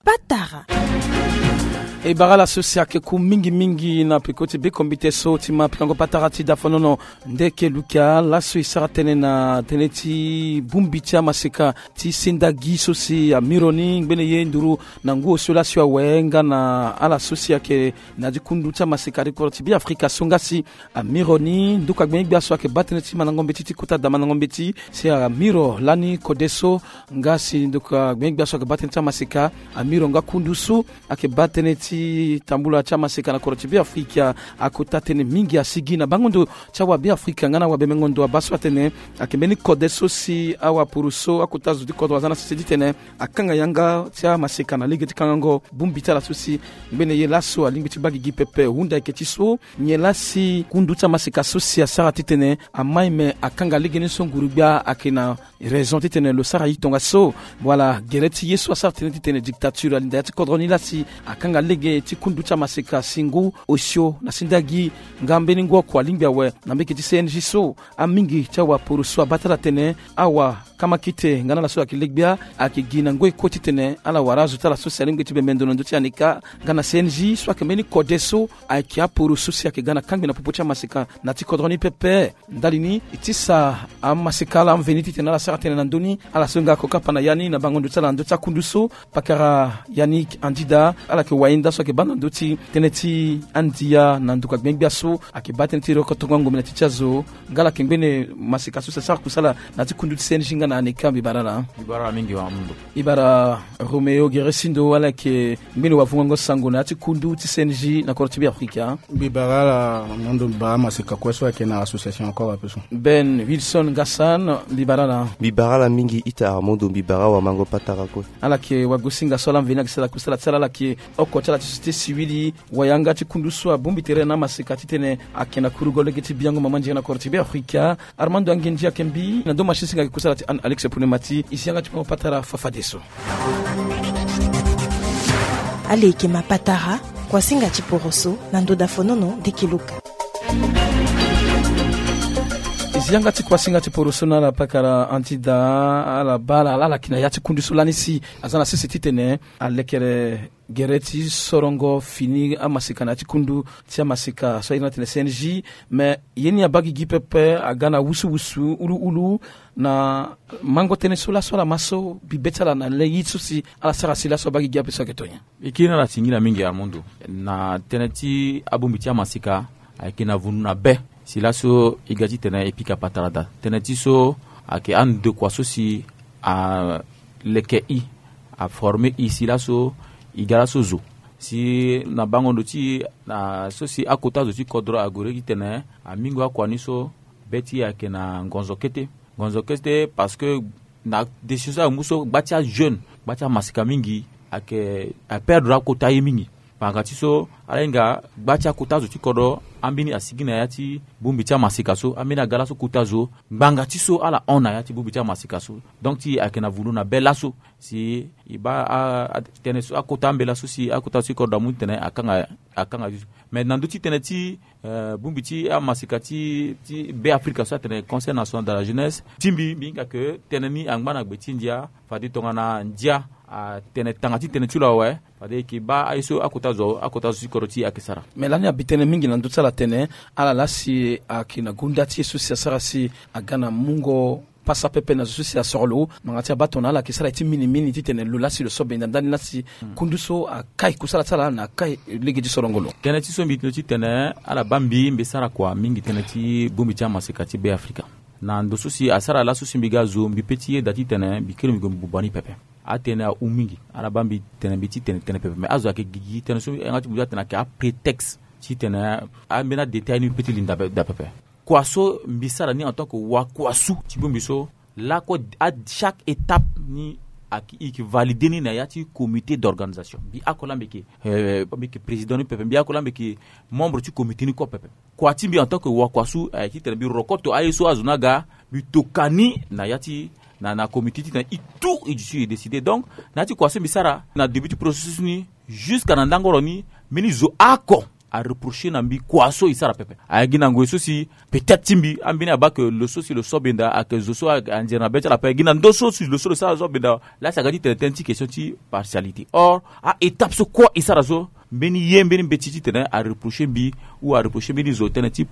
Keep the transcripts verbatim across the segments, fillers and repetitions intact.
Patara. E bara la so si ayeke ku mingi mingi na peko ti bekombite so ti ma pikango patara ti dafonono. Nde ke lukia laso e sara tënë na tënë ti bongbi ti amaseka ti sendagi so si amiro ni ngbene ye nduru na ngu osio laso awe nga na ala so si ayeke na ya ti kundu ti amaseka ti kodro ti Beafrika so nga si amiro ni nduku agbengbe gbia so ayeke baa tënë ti mandango mbeti ti kota da mandango mbeti si amiro lani kode so nga si nduku agbengbe gbia so ayeke baa tënë ti amaseka amiro nga kundu so ayeke baa tënë ti tambula ti amaseka na kodro ti Beafrika. Akota tënë mingi asigi na bango ndo ti awa Beafrika nga na awa bemengo ndo abaa so atene ayeke mbeni kode so si awapuru so akota zo ti kodro aza na sese titene akanga yanga ti amaseka na lege ti kangango bongbi ti ala so si ngbene ye laso alingbi ti baa gigi pepe hunda eke ti so. Nyen laa si kundu ti amaseka so si asara titene amai me akanga lege ni so nguru-gbia ayeke na raison titene lo sara ye tongaso. Wala gere ti ye so asara tënë titene dictature alinda ya ti kodro ni laa si akanga lege ti kundu ti amaseka si ngu osio na sendagi nga mbeni ngu oko alingbi awe na mbege ti C N J so. Amingi ti awapuru so abaa ti ala tene awa kamakite nga na ala so ayeke le-gbia ayeke gi na ngoi kue titene ala wara azo ti ala so si alingbi ti bembe ndo na ndö ti aneka nga na C N J so ayeke mbeni kode so ayeke apuru so si ayeke ga na kangbi na popo ti amaseka na ya ti kodro ni pepe. Ndali ni e tisa amaseka ala amveni titene ala sara tënë na ndö ni ala so nga ako kapa na ya ni na bango ndo ti ala na ndö ti akundu so. Pakara Yannick Andida ala yeke wayenda so ayeke baa na ndö ti tënë ti andia na nduku agbengbe gbia so ayeke baa tënë ti rokotongo angombe na ti ti azo. Nga ala yeke ngbene maseka so si asara kusala na ya ti kundu ti C N J nga na aneka mbi bara ala. Mbi bara ala mingi wa mundo. Mbi bara Romeo Geresindo ala yeke ngbene wavungango sango na ya ti kundu ti C N J na kodro ti Beafrika. Mbi bara ala mundo, mbi bara maseka kue so ayeke na association encore ape so. Ben Wilson Ngassan, mbi bara ala. Mbi bara ala mingi ita Armando, mbi bara wamango patara kue. Ala yeke wagosinga so ala mveni ayeke sara kusala ti ala, ala yeke oko ti ala ti société civile, wayanga ti kundu so abongbi tere na amaseka titene ayeke na kurugo lege ti biango mama nzere na kodro ti Beafrika. Armando Angenji ayeke mbi na ndo machine singa ayeke kusala ti Anne Alex Poulemati. E si yanga ti mo patara fafadeso. Ale yeke ma patara kuasinga ti poroso na ndo dafonono ndeke luka. E si yanga ti kuasinga ti poroso na ala pakara Andida, ala baa ala ala yeke na ya ti kundu so lani si aza na sese titene alekere gere ti sorongo fini amaseka na ya ti kundu ti amaseka so airi na tene C N J. Me ye ni abaa gigi pepe aga na wusuwusu uluulu na mango tënë so laso ala ma so bibe ti ala na le ye so si ala sara si laso abaa gigi ape so ayeke to nyen? E kiri na ala tingila mingi Armando. Na tënë ti abongbi ti amaseka ayeke na vundu na be si laso e ga titene e pika patara daa. Tënë ti so ayeke andokua so si aleke i, aforme i si laso e ga laso zo. Si na bango ndo ti na so si akota zo ti kodro ague titene amingo akua ni so be ti e ayeke na ngonzo kete. Ngonzo kete parce que na décision so amu so gba ti ajeune, gba ti amaseka mingi ayeke aperdre akota ye mingi. Ngbanga ti so ala hinga gba ti akota zo ti kodro ambeni asigi na ya ti bongbi ti amaseka so, ambeni aga laso kota zo ngbanga ti so ala hon na ya ti bongbi ti amaseka so. Donc ti e ayeke na vundu na be laso si e baa a- a- tënë so akota ambeni laso si akota zo ti kodro amu titene akanga akanga ti so. Mais na ndö ti tënë ti eh, bongbi ti amaseka ti ti Beafrika so atene Conseil National de la Jeunesse, ti mbi mbi hinga ke tënë ni angba na gbe ti ndia. Fade tongana ndia atene tanga ti tënë ti lo awe, fade e yeke baa aye so akota zo akota zo ti kodro ti e ayeke sara. Me lani abi tënë mingi na ndö ti ala tene ala laa si ayeke na gonda ti ye so si asara si aga na mungo pasa pepe na zo so si asoro lo ngbanga ti abaa tongana ala yeke sara ye ti minimini titene lo laa si lo so benda ndani laa si kundu so akai kusala ti ala na akai lege ti sorongo lo. Tënë ti so mbi tene ti tene ala baa mbi mbi sara kua mingi tënë ti bongbi ti amaseka ti Beafrika. Na ndo so si asara laso si mbi ga zo mbi pe ti yeda titene mbi kiri mbi gue mbi buba ni pepe. Atënë ahu mingi. Ala baa mbi tene mbi ti tene tënë pepe me azo ayeke gigi tënë so yanga ti mbi ti atene ayeke aprétexte titene ambeni adétail ni mbi pe ti linda da pepe. Kua so mbi sara ni en tant que wakuasu ti bongbi so lakue à chaque étape ni ayeke valide ni na ya ti comité d'organisation. Mbi ako laa mbi yeke eh, mbi yeke président ni pepe, mbi ako laa mbi yeke membre ti comité ni kue pepe. Kua ti mbi en tant que wakuasu ayeke titene mbi rokoto aye so azo ni aga mbi toka ni na ya ti na na comité titene e tout e duti e décide. Donc na ya ti kua so mbi sara na début ti processus ni jusqu'à na ndangoro ni mbeni zo oko areprocher na mbi kua so e sara pepe. Aye gi na ngoi so si peut-être ti mbi ambeni abaa ke lo so si lo so benda ayeke zo so anzere na be ti ala ape. Gi na ndö so si lo so lo sara zo benda laa si aga ti tene tënë ti question ti partialité. Or a-étape so kua e sara so, mbeni ye mbeni mbeti titene areprocher mbi ou areprocher mbeni zo tënë ti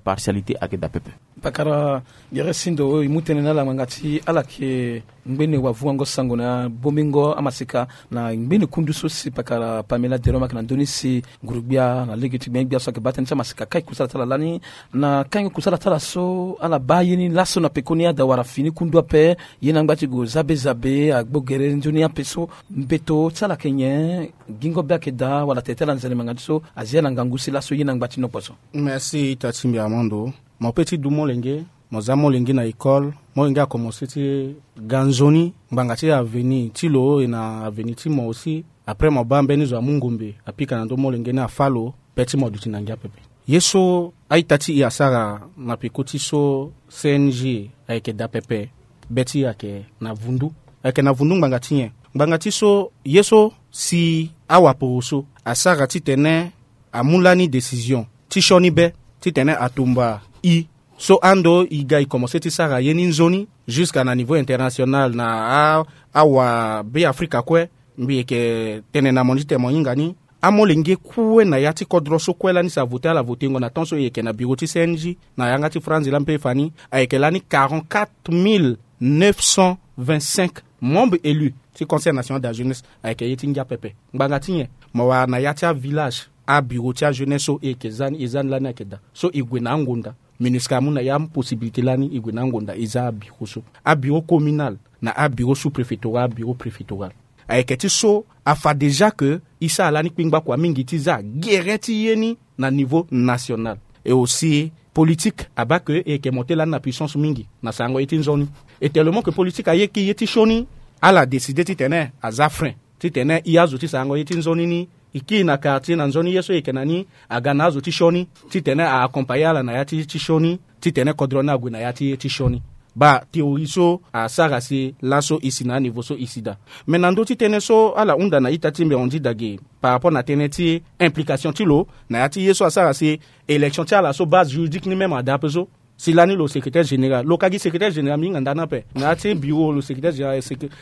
partialité ayeke daa pepe. Pakara gere sindo e mu tënë na ala ngbanga ti ala yeke ngbene wavuango sango na bongbingo amasika na ngbene kundu so si pakara Pamela Derome ayeke na ndö ni si ngurugbia na lege ti gbengbia so ayeke baa tënë ti amasika kai kusala ti ala lani. Na kange kusala ti ala so ala baa ye ni laso na pekoni ada wala fini kundu ape. Ye na ngba ti gue zabe zabe agbo gere nzoni ape so mbeto ti ala yeke nyen? Gingo be ayeke daa wala tere ti ala nzere ngbanga ti so azi ala ngangu si laso ye na ngba ti nokpo so. Merci ita ti mbi Armando. Mo pe ti du molenge, mo za molenge na école, molenge akomense ti ga nzoni ngbanga ti avenir ti lo e na avenir ti mo aussi. Après mo baa mbeni zo amu ngombe apika na ndö molenge ni afâ lo, be ti mo duti na ngia pepe. Ye so a-ita ti e asara na peko ti so C N G ayeke daa pepe. Be ti e ayeke na vundu. Ayeke na vundu ngbanga ti nyen? Ngbanga ti so ye so si awaporo so asara titene amu lani décision ti sioni be titene atumba e. So ando e ga e komense ti sara ye ni nzoni jusqu'à na niveau international na a, awa Be Afrika kue. Mbi yeke tene na mo ni titene mo hinga ni amolenge kue na ya ti kodro so kue lani si avote ala votengo na temps so e yeke na bureau ti C N G na yanga ti Franzi lani pe e fa ni. Ayeke lani quarante-quatre mille neuf cent vingt-cinq membres élus ti Conseil national de la jeunesse. Ayeke ye ti ngia pepe. Ngbanga ti nyen? Mo wara na ya ti avillage abureau ti ajeunesse so e yeke za ni, e za ni lani ayeke daa. So e gue na angonda. MINUSCA amu na ya amu possibilité lani e gue na angonda e za abureau so, abureau communal na abureau sous-préfectoral, abureau préfectoral. Ayeke ti so afa déjà ke e sara lani kpingba kua mingi ti za gere ti ye ni na niveau national. Et aussi politique abaa ke e yeke monté lani na puissance mingi na sarango ye ti nzoni. Et tellement ke politique aye ki ye ti sioni, ala décidé titene aza frein titene e azo ti sarango ye ti nzoni ni e kiri na quartier na nzoni ye so e yeke na ni, aga na azo ti sioni titene a accompagner ala na ya ti ye ti sioni titene kodro ni ague na ya ti ye ti sioni. Baa théorie so asara si laso e si na aniveau so e si daa. Mais na ndö ti tënë so ala hunda na ita ti mbi Andy Dage par rapport na tënë ti implication ti lo na ya ti ye so asara si élection ti ala so base juridique ni même adaa ape so. Si lani lo secrétaire général, lo ka gi secrétaire général mbi hinga nda ni ape. Na ya ti bureau lo secrétaire général,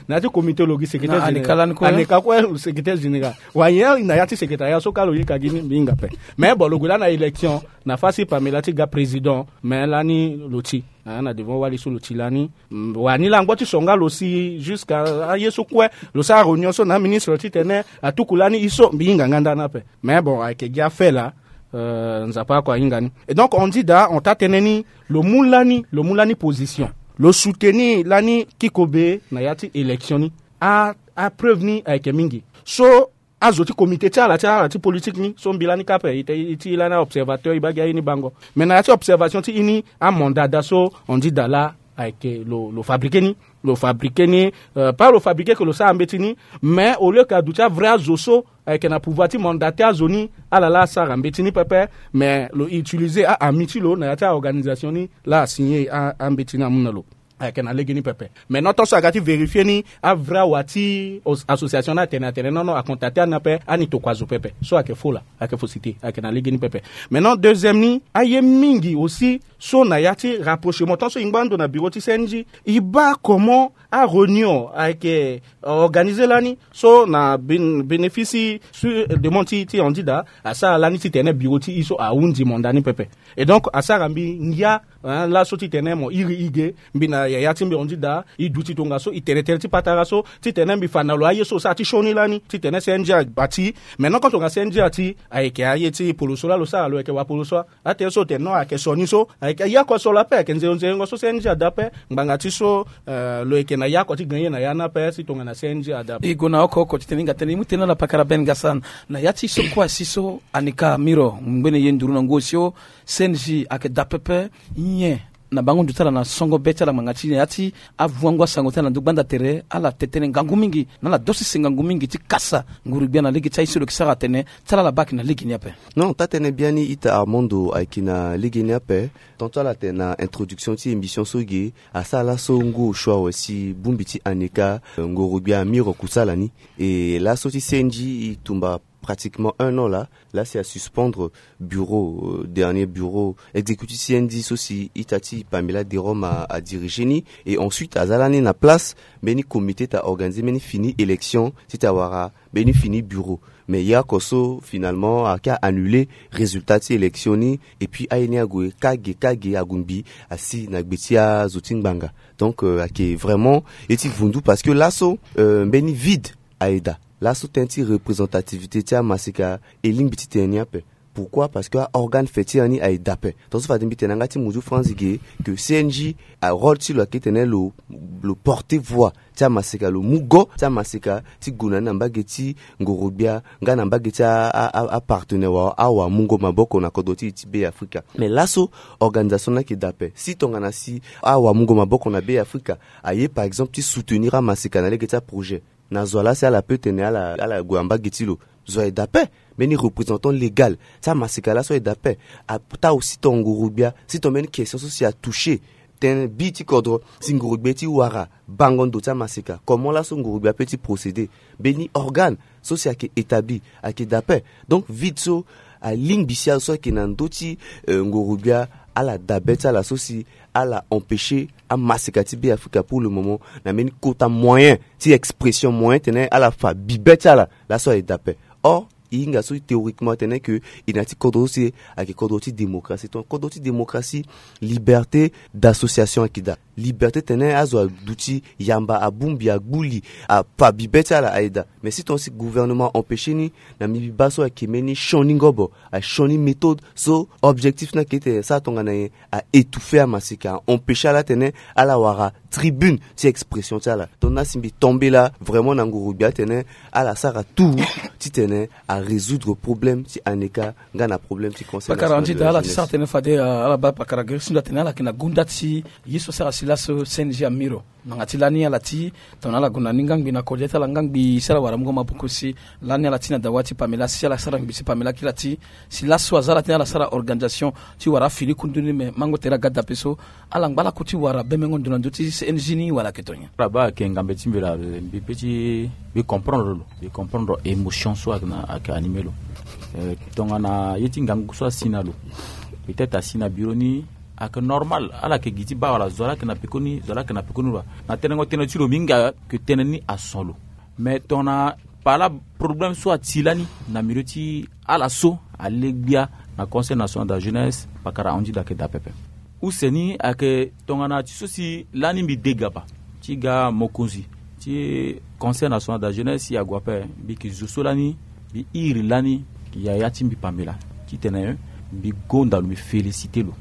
na ya ti comité lo gi secrétaire général, aneka kue lo secrétaire général. Wa nyen na ya ti secrétariat so ka lo ye ka gi ni mbi hinga ape. Mais bon lo gue lani na élection na fasi Pamela ti ga président, mais lani lo ti na devant wali so lo ti lani. Wani langbo ti songa lo si jusqu'à aye so kue lo sara réunion so na aministre titene atuku lani e so mbi hinga nga nda ni ape. Mais bon ayeke gi afait laa. Nzapa ako ahinga ni. Et donc on dit daa on taa tënë ni lo mu lani lo mu lani position, lo soutenir lani kikobe na ya ti élection ni. Apreuve ni ayeke mingi. So azo ti comité ti ala ti ala ti politique ni so mbi lani ka ape e ti e lani aobservateur e baa gi aye ni bango. Mais na ya ti observation ti e ni amanda daa so on dit daa laa ayeke lo fabriquer ni. Lo fabriquer ni. Pas lo fabriquer ke lo sara mbeti ni. Mais au lieu ke aduti avrai azo so ayeke na pouvoir ti mandate azo ni, ala laa asara mbeti ni pepe. Mais lo utiliser a-ami ti lo na ya ti aorganisation ni laa asigner ambeti ni amu na lo. Ayeke na lege ni pepe. Maintenant tant so aga ti vérifier ni avrai awa ti association ni atene atene non non acontacter ani ape ani tokua zo pepe. So ayeke faux laa, ayeke fausseté, ayeke na lege ni pepe. Maintenant deuxième ni aye mingi aussi so na ya ti rapprochement tant so e ngba ndo na bureau ti C N G e baa comment aréunion ayeke organiser lani so na bénéfice sur demande ti ti on dit daa asara lani titene bureau ti e so ahundi manda ni pepe. Et donc asara mbi ngia laso titene mo iri e ge mbi na yaya ti mbi on dit daa e duti tongaso e tene tënë ti patara so titene mbi fa na lo aye so lo sara ti sioni lani titene C N G abati. Maintenant quand tonga C N G ati ayeke aye ti poloso laa lo sara lo yeke wapoloso. Atene so tene non ayeke sioni so ayeke yako so lo ape ayeke nzere nzerengo so C N G ada ape. Ngbanga ti so lo yeke na yako ti gagner na ya ni ape si tongana C N G ada ape. E gue na oko oko titene e hinga tënë e mu tënë na ala pakara Ben Gassane. Na ya ti so kue asi so Anika Miro ngbene ye nduru na ngu osio C N G ayeke daa pepe. Nyen na bango ndo ti ala na songo be ti ala ngbanga ti na ya ti avuango asango ti ala na ndö gbanda tere ala te tënë ngangu mingi na ala dosise ngangu mingi ti kasa nguru-gbia na lege ti aye so lo yeke sara atene ti ala ala baa ayeke na lege ni ape. Non taa-tënë biani ita Armando ayeke na lege ni ape. Tant so ala tene na introduction ti émission so ge asara laso ngu osio awe si bongbi ti Anika nguru-gbia Miro kusala ni. E laso ti C N G e tumba pratiquement un an la, la si a suspendre bureau, euh, dernier bureau exécutif C N D so si ita ti Pamela Derome a, a dirige ni. Et ensuite aza lani na place mbeni comité ta organiser mbeni fini élection ti ta wara mbeni fini bureau. Mais ya ko so finalement ake a annuler résultat ti élection ni. Et puis aye ni ague kage kage ague mbi asi na gbe ti azo ti ngbanga. Donc euh, ake vraiment ye ti vundu parce que laso euh, mbeni vide aye daa. Laso tënë ti représentativité ti amaseka e lingbi ti tene ni ape. Pourquoi? Parce que aorgane fêtière ni aye daa ape. Tongaso fade mbi tene na yanga ti muzu franzi ge que C N J arôle ti lo ayeke tene lo, lo porter voix ti amaseka, lo mu go ti amaseka ti gue na ni na mbage ti ngorogbia nga na mbage ti apartenaire wala awamungo maboko na kodro ti e ti Be Afrika. Mais laso organisation ni ayeke daa ape. Si tongana si awamungo maboko na Be Afrika aye par exemple ti soutenir amaseka na lege ti aprojet, na zo ala si ala peut tene ala, ala gue na mbage ti lo. Zo aye daa ape. Mbeni représentant légal ti amaseka laso aye daa ape. Ataa aussi tongana ngorogbia si tongana mbeni question so si atoucher tënë bi ti kodro, si ngorogbia ti wara bango ndo ti amaseka, comment laso ngorogbia apeut ti procéder? Mbeni organe so si ayeke établi ayeke daa ape. Donc vide so alingbi si azo so ayeke na ndö ti euh, ngorogbia ala dabe ti ala so si ala empêcher amaseka ti Be Afrika pour le moment na mbeni kota moyen ti expression, moyen tene ala fa bibe ti ala. Laso aye daa ape. Or e hinga so théoriquement atene ke e na ya ti kodro so si ayeke kodro ti démocratie. Tongana kodro ti démocratie, liberté d'association ayeke daa, liberté tene azo aduti yamba, abongbi, agbu li, afa bibe ti ala aye daa. Mais si tongana si gouvernement empêcher ni, na mbi mbi baa so ayeke mbeni sioni ngobo, asioni méthode so objectif ni ayeke ete asara tongana nyen? A étouffer amaseka, a empêcher ala tene ala wara tribune ti expression ti ala. Donc na si mbi tombé la vraiment na ngorogbia atene ala sara tout titene a résoudre problème ti aneka nga na problème ti conseil. Pakara national andi de la daa ala ti jeunesse sara tene fade, euh, ala baa pakara gere si ndo atene ala yeke na gunda ti ye so sara si laso C N J amiro. Nanga ti lani ala ti tongana ala gonda ni ngangbi na kode ti ala ngangbi si ala wara mungo maboko si lani ala ti na dawa ti Pamela si ala sara ngbi si Pamela kiri ala ti si laso aza ala ti ni ala sara organisation ti wara afini kundu ni me mango tere aga dape so ala ngba lako ti wara bemengo ndo na ndö ti C N J ni wala ayeke tongana nyen? Ala baa ayeke ngambe ti mbi la, mbi pe ti mbi comprendre lo, mbi comprendre émotion so ayeke na ayeke animé lo. Euh, tongana ye ti ngangu so asi na lo, peut-être asi na bureau ni ayeke normal, ala yeke gi ti baa wala zo ala yeke na pekoni, zo ala yeke na pekoni lo. Na tenengo tënë ti lo mbi hinga ke tënë ni ason lo. Mais tongana pala problème so ati lani na milieu ti ala so ale gbia na Conseil national de la jeunesse, pakara ahunzi daa ayeke daa pepe. Use ni ayeke tongana ti so si lani mbi de gaba ti ga mokonzi ti Conseil national de la jeunesse si ague ape, mbi yeke zo so lani mbi iri lani yaya ti mbi Pamela titene mbi gonda lo, mbi félicité lo.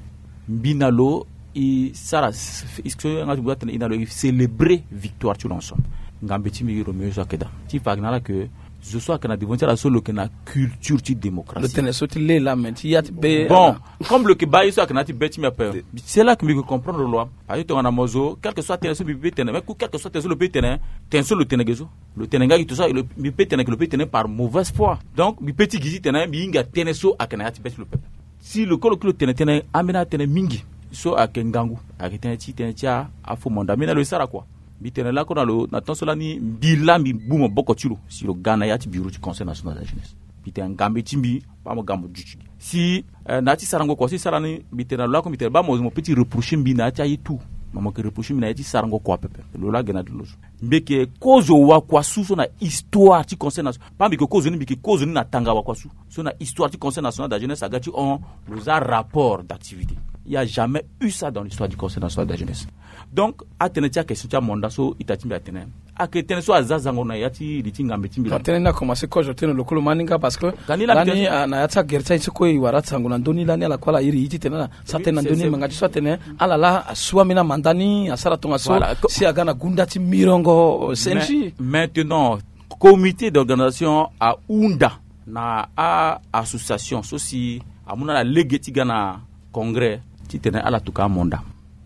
Mbi na lo e sara s- s- so yanga ti mbi atene e na lo e célébrer victoire ti lo ensemble. Ngambe ti mbi Roméo so ayeke daa ti fa ayeke na ala ke zo so ayeke na devant ti ala so lo yeke na culture ti démocratie. Lo tene so ti le la me ti ya ti be. Bon, comme lo yeke baa ye so ayeke na ya ti be ti mbi ape, c'est là que mbi yeke comprendre lo. Parce que tongana mo zo quelque soit tënë so mbi pe tene, mais ku quelque soit tënë so lo pe tene, tënë so lo tene ge so, lo tene nga gi to so lo- mbi pe tene ke lo pe tene par mauvaise foi. Donc mbi pe ti gi titene mbi hinga tënë so ayeke na ya ti be ti lo pepe. Si lo kolo kilo tene tënë ambeni atënë mingi so ayeke ngangu, ayeke tënë ti tënë ti a- afo manda mbi na lo e sara kua. Mbi tene lako na lo na temps so lani mbi laa mbi gbu maboko ti lo si lo ga na ya ti bureau ti Conseil national de la jeunesse. Mbi tene ngambe ti mbi baa mo ga mo duti gi si eh, na ya ti sarango kua so e sara ni, mbi tene na lo lako mbi tene baa mo mo pe ti reprocher mbi na ya ti aye tout. Ma mo yeke reprocher mbi na ya ti sarango kua pepe. Lo laa gena ti lo so mbi yeke kozo wakuasu so na histoire ti Conseil national. Baa mbi yeke kozo ni, mbi yeke kozo ni na tanga wakuasu so na histoire ti Conseil national de la jeunesse aga ti hon lo za rapport d'activité. Il y a jamais eu ça dans l'histoire du Conseil national de la jeunesse. Donc atënë ti akestion ti amanda so ita ti mbi atene ayeke tënë so aza zango na ya ti li ti ngambe ti mbi. Atënë ni akomanse kozo tënë lo kolo maninga parce que lani ah, na ya ti agere ti aye so kue e wara ti sango na ndö ni lani ala kue ala iri ye titene ala sara tënë na ndö ni. Manga ti so atene ala laa asu ambeni amanda ni asara tongaso si aga na gunda ti mirongo. Sensi maintenant comité d'organisation ahunda na a association so si amu na ala lege ti ga na congrès titene ala tuka amanda.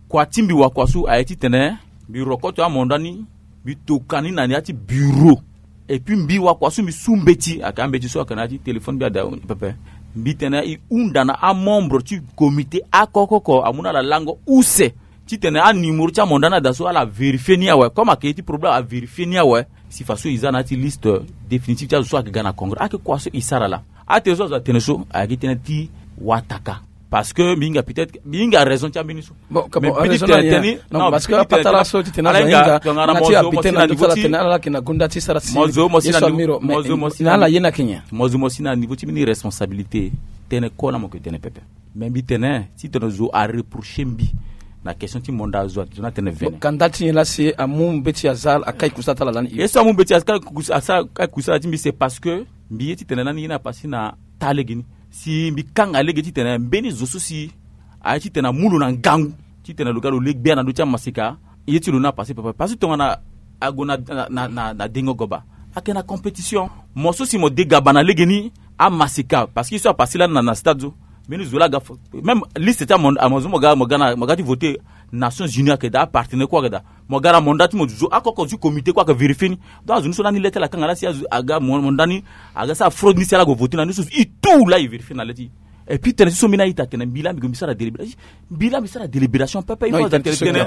Kua ti mbi wakuasu aye titene mbi rokoto amanda ni, mbi toka ni na ya ti bureau. Et puis mbi wakuasu mbi su mbeti ayeke ambeti so ayeke na ya ti téléphone mbi ada pepe. Mbi tene e hunda na amembre ti comité akokoko amu na ala lango use Titene animero ti amanda ni ada so ala vérifier ni awe, comme ayeke ye ti problème avérifier ni awe. Si faso e za na ya ti liste définitive ti azo so ayeke ga na congrès, ayeke kua so e sara laa. Atene so azo atene so ayeke tënë ti wataka. Parce que mbi hinga peut-être mbi hinga raison ti ambeni so. Bon, mais bon, mbi ti raison tene na ye tënë ni. Non, non, parce que mbi ti tene apatara tënë so ti tene ala azo hinga tongana na ti mozo abite mosi na na niveau ti tene ala laki na gonda ti sara ti mozo mosi na niveau ti mini responsabilité. Tënë kola mo yeke tene pepe. Mais mbi tene titene zo areprocher mbi na question ti manda zo ati zo ni atene vene. Kanda ti nyen laa si amu mbeti aza akai kusa ti ala lani? Ye so amu mbeti aza akai kusa ti mbi, c'est parce que mbi ye titene lani ye ni apasé na taa lege ni. Si mbi kanga lege titene mbeni zo so si aye titene amu lo na ngangu titene lo ga lo le gbia na ndö ti amaseka. Ye ti lo ni apasé pepe parce que tongana ague na na na na dengo goba, ayeke na compétition. Mo so si mo degaba na lege ni amaseka parce que ye so apasé lani na na stade so. Mbeni zo laa aga même liste ti amondo amondo so mo ga mo ga na mo ga ti voter. Nations Unies ayeke daa, apartenaire kue ayeke daa. Mo ga na manda ti mo zo akoko ti comité kue ayeke vérifier ni. Donc azo ni so lani le ti ala akanga laa si aga manda ni aga sara fraude ni si ala gue voter na ni so. E tout laa e vérifier na le ti e. Et puis tene ti so mbeni a-ita atene mbi laa mbi gue mbi sara délibération. Mbi laa mbi sara délibération pepe il faut azo atene tene.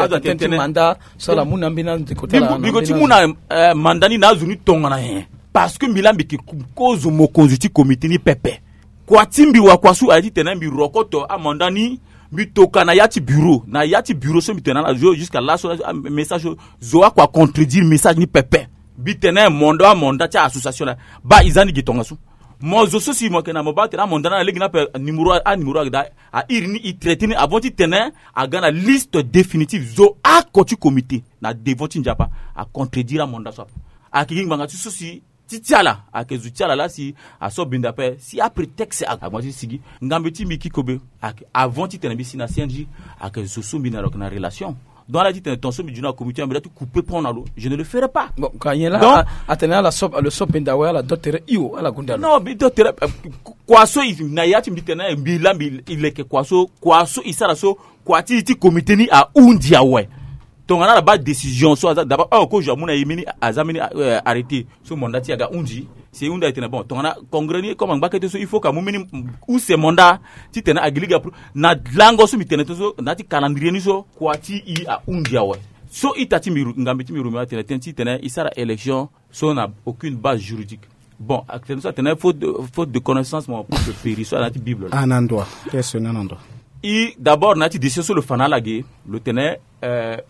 Azo atene tene manda so ala mu na mbeni andeko ti ala na mbeni azo. Mbi gue ti mu na manda ni na azo ni tongana nyen? Parce que mbi laa mbi yeke kozo mokonzi ti comité ni pepe. Kua ti mbi wakua so aye titene mbi rokoto amanda ni. Mbi toka na ya ti bureau na ya ti bureau so mbi tene na zo jusqu'à laso message so zo akua contredire message ni pepe. Mbi tene manda amanda ti association laa baa e za ni gi tongaso. Mo zo so si mo yeke na mo baa tene amanda ni na lege ni ape. Numéro a numéro ayeke daa. A iri ni e traité ni avant titene aga na liste définitive zo ako ti comité na devant ti nzapa. Acontredire amanda so ape. Ayeke gi ngbanga ti so si ti ti ala ayeke zo ti ala laa si aso benda ape si aprétexte ague ti sigi. Ngambe ti mbi kikobe ayeke avant titene mbi si na C N J. Ayeke zo so mbi na lo yeke na relation. Donc ala titene ton so mbi zu na comité mbi da ti couper pont na lo, je ne le ferai pas. Bon ka nyen laa atene ala so benda awe ala do tere hio ala gonda lo. Non mbi do tere. Kua so na ya ti mbi tene mbi laa mbi leke kua so kua so e sara so. Kua ti e ti comité ni ahundi awe. Tongana ala baa décision so aza d'abord oko zo amu na e mbeni aza mbeni arrêté so manda ti e aga hundi. Si e hundi aye tene bon tongana congrès ni comme angba kete so il faut ka mu mbeni use manda titene agi lege apro na lango so mbi tene to so na ya ti calendrier ni so kua ti e ahundi awe. So ita ti mbi ngambe ti mbi roméo atene tënë titene e sara élection so na aucune base juridique. Bon atene so atene faute de connaissance mo puse péri so ala na ya ti bible laa. Ana ndua. Question ni ana ndua. I d'abord na ya ti décision so lo fa na ala ge lo tene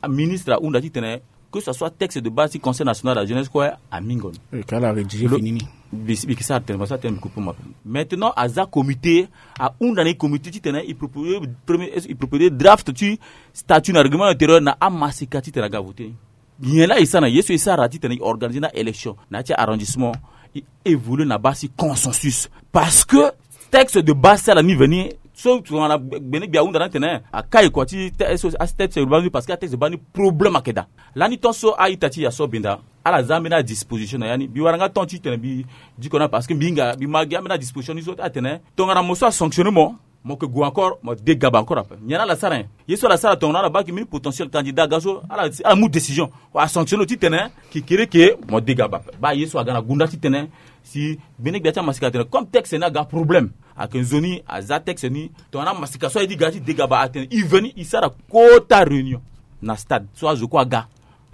ministre ahunda titene que ce soit texte de base ti conseil national de la jeunesse kue. Amingo ni. Mbi yeke sara tene mo sara tene mbi kupe mo ape. Maintenant aza comité ahunda na e comité titene e proposer draft ti statut na règlement intérieur na amaseka titene aga voter ni. Nyen laa e sara na ye so e sara titene e organiser na élection na ya ti arrondissement. E évoluer na base ti consensus parce que texte de base ti ala ni veni so tongana gbene gbia ahunda ni atene akai kua ti texte de base ni parce que atexte de base ni problème ayeke daa. Lani tant so a-ita ti e aso benda ala za ambeni adisposition na ya ni mbi wara nga temps titene mbi diko na parce que mbi hinga mbi ma gi ambeni adisposition ni so atene tongana mo so asanctionner mo. Mo yeke gue encore mo dégaba encore ape nyen laa ala sara nyen? Ye so ala sara tongana ala baa ke mbeni potentiel candidat aga so ala mu décision asanctionner lo titene kekereke mo dégaba ape baa ye so aga na gonda titene si mbeni gbia ti amasika atene comme texte ni aga problème. Ayeke nzoni aza texte ni tongana amasika so aye ti ga ti dégaba atene e veni e sara kota réunion na stade so azo kue aga.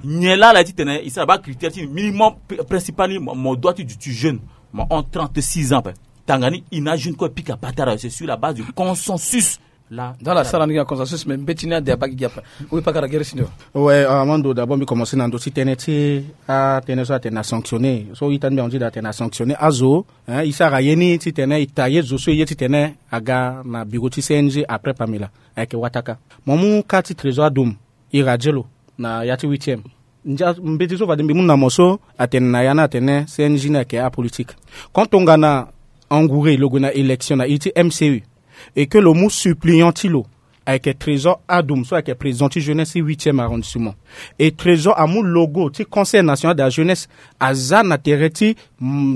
Nyen laa ala ye titene e sara baa critère ti ni minimum principal ni mo doit ti duti jeune. Mo hon trente-six ans ape. Tanga ni e na jeune kue e pika patara c'est sur la base du consensus. Laa dans la sara ni gi na consensus mais mbeti ni ade abaa gi gi ape. Ou pas kara gere si ndo. Ouais, avant ndo d'abord mbi commencer na ndö ti tënë ti atënë so atene asanctionner so ita ni mbi anzi da atene asanctionner azo. E sara ye ni titene e tailler zo so e ye titene aga na bureau ti C N J après Pamela. Ayeke wataka mo mu ka ti trésor adum. Ira ti lo na ya ti huitième. Ndia mbeti so fade mbi mu na mo so atene na ya ni atene C N J ni ayeke apolitique. Quand tongana engouré lo gue na élection na iri ti M C U et que lo mu suppléant ti lo ayeke trésor adum so ayeke président ti jeunesse ti huitième arrondissement. Et trésor amu logo ti conseil national de la jeunesse aza na tere ti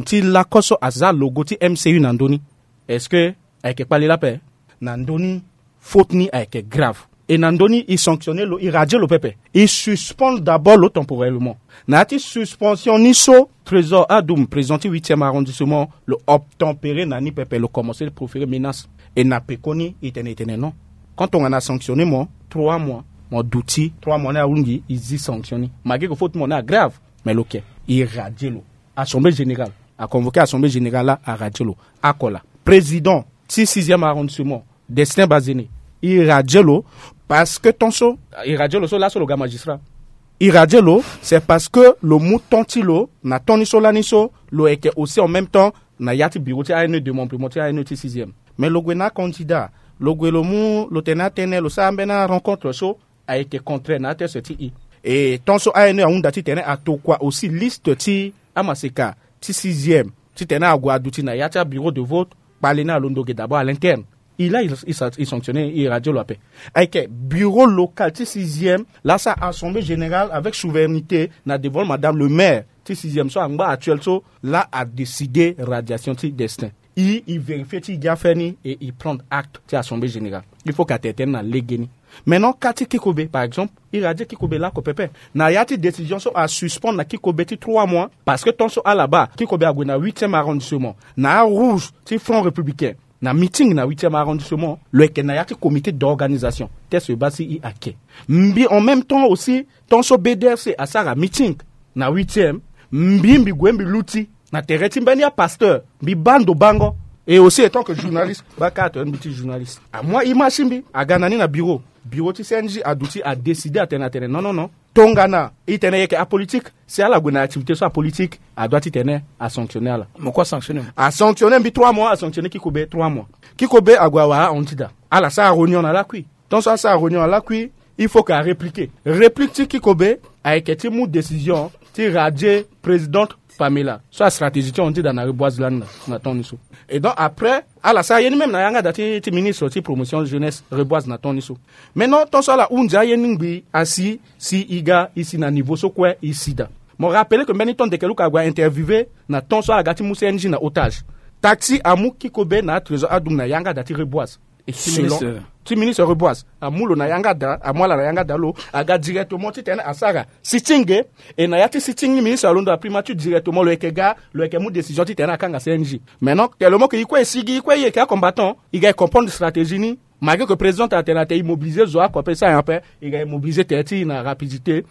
ti lako so aza logo ti M C U na ndö ni. Est-ce que ayeke kpali lape? Na ndö ni faute ni ayeke grave. Et na ndö ni e sanctionner lo e radier lo pepe e suspendre d'abord lo temporellement. Na ya ti suspension ni so trésor adum président ti huitième arrondissement lo obtempérer na ni pepe lo commencer proférer menace. Et na pekoni e tene e tene non. Quand tongana sanctionner mo trois mois. Mo duti trois mois ni ahungi, i zi sanction ni. Malgré que faute mo ni agrave, mais lo ke, i radier lo. Assemblée générale, aconvoquer assemblée générale la, aradier lo. Akola président ti sixième arrondissement, Destin Bazene, i radier lo. Parce que tant so i radier lo so, laso lo ga magistrat, i radier lo, c'est parce que lo mu temps ti lo na temps ni so lani so, lo yeke aussi en même temps na ya ti bureau ti A N E, démembrement ti A N E ti sixième. Mais lo gue na acandidat, lo gue lo mu, lo tene atene, lo sara mbeni arencontre so ayeke contraire na ateste ti i. E tant so A N E ahunda titene atokua aussi liste ti amaseka ti sixième, titene ague aduti na ya ti abureau de vote, kpale ni alondo ge d'abord à l'interne. I la, i, i sa-, i sanctionner, i radier lo ape. Ayeke bureau local ti sixième la sara assemblée générale avec souveraineté na devant madame le maire ti sixième so angba actuel so, la adécider radiation ti Destin. I, i vérifier ti i gi affaire ni et i prendre acte ti assemblée générale. Il faut que atene tënë na lege ni. Maintenant, cas ti Kikobe, par exemple, i radier Kikobe laoko pepe. Na ya ti décision so asuspendre na Kikobe ti trois mois, parce que tant so ala baa, Kikobe ague na huitième arrondissement, na arouge ti Front Républicain, na meeting na huitième arrondissement, lo yeke na ya ti comité d'organisation. Teste baa si i ake. Mbi, en même temps aussi, tant so B D R C asara meeting na huitième, mbi, mbi gue mbi luti na tere ti mbeni apasteur, mbi baa ndo bango. Et aussi, étant que journaliste, baa carte mbi ti journaliste. Amu image ti mbi, aga na ni na bureau. Bureau ti C N J aduti, adécider atene, atene non, non, non. Tongana i tene i yeke apolitique, si ala gue na activité so apolitique, adoit titene asanctionner ala. Mo kue asanctionner mo. Asanctionner mbi trois mois, asanctionner Kikobe trois mois. Kikobe ague awara ahon ti da. Ala sara réunion na lakui. Tant so asara réunion na lakui, il faut que arépliquer. Réplique ti Kikobe ayeke ti mu décision ti radier présidente Pamela so astratégie ti ahon ti da na reboise lani na, na temps ni so. Et donc après, ala sara ye ni même na yanga da ti, ti ministre ti promotion jeunesse reboise na temps ni so. Maintenant, tant so ala hunzi aye ni ngbii asi, si i ga i si na niveau so kue i si da. Mo rappeler que mbeni temps Dekeluka ague ainterviewer na temps so ala ga ti mu C N J na otage. Taxi amu Kikobe na atrésor adumu na yanga da ti reboise. Et ti ministre, ti ministre reboise amu lo na yanga da, amu ala na yanga da, lo aga directement titene asara sitting. E na ya ti sitting ni, ministre alondo na primature directement, lo yeke ga, lo yeke mu décision titene akanga C N J. Maintenant, tellement que i kue i sigi, i kue i yeke acombattant, i ga i comprendre stratégie ni. Malgré que président atene atene i mobiliser zo oko ape, sa ape i ga i mobiliser tere ti i na rapidité.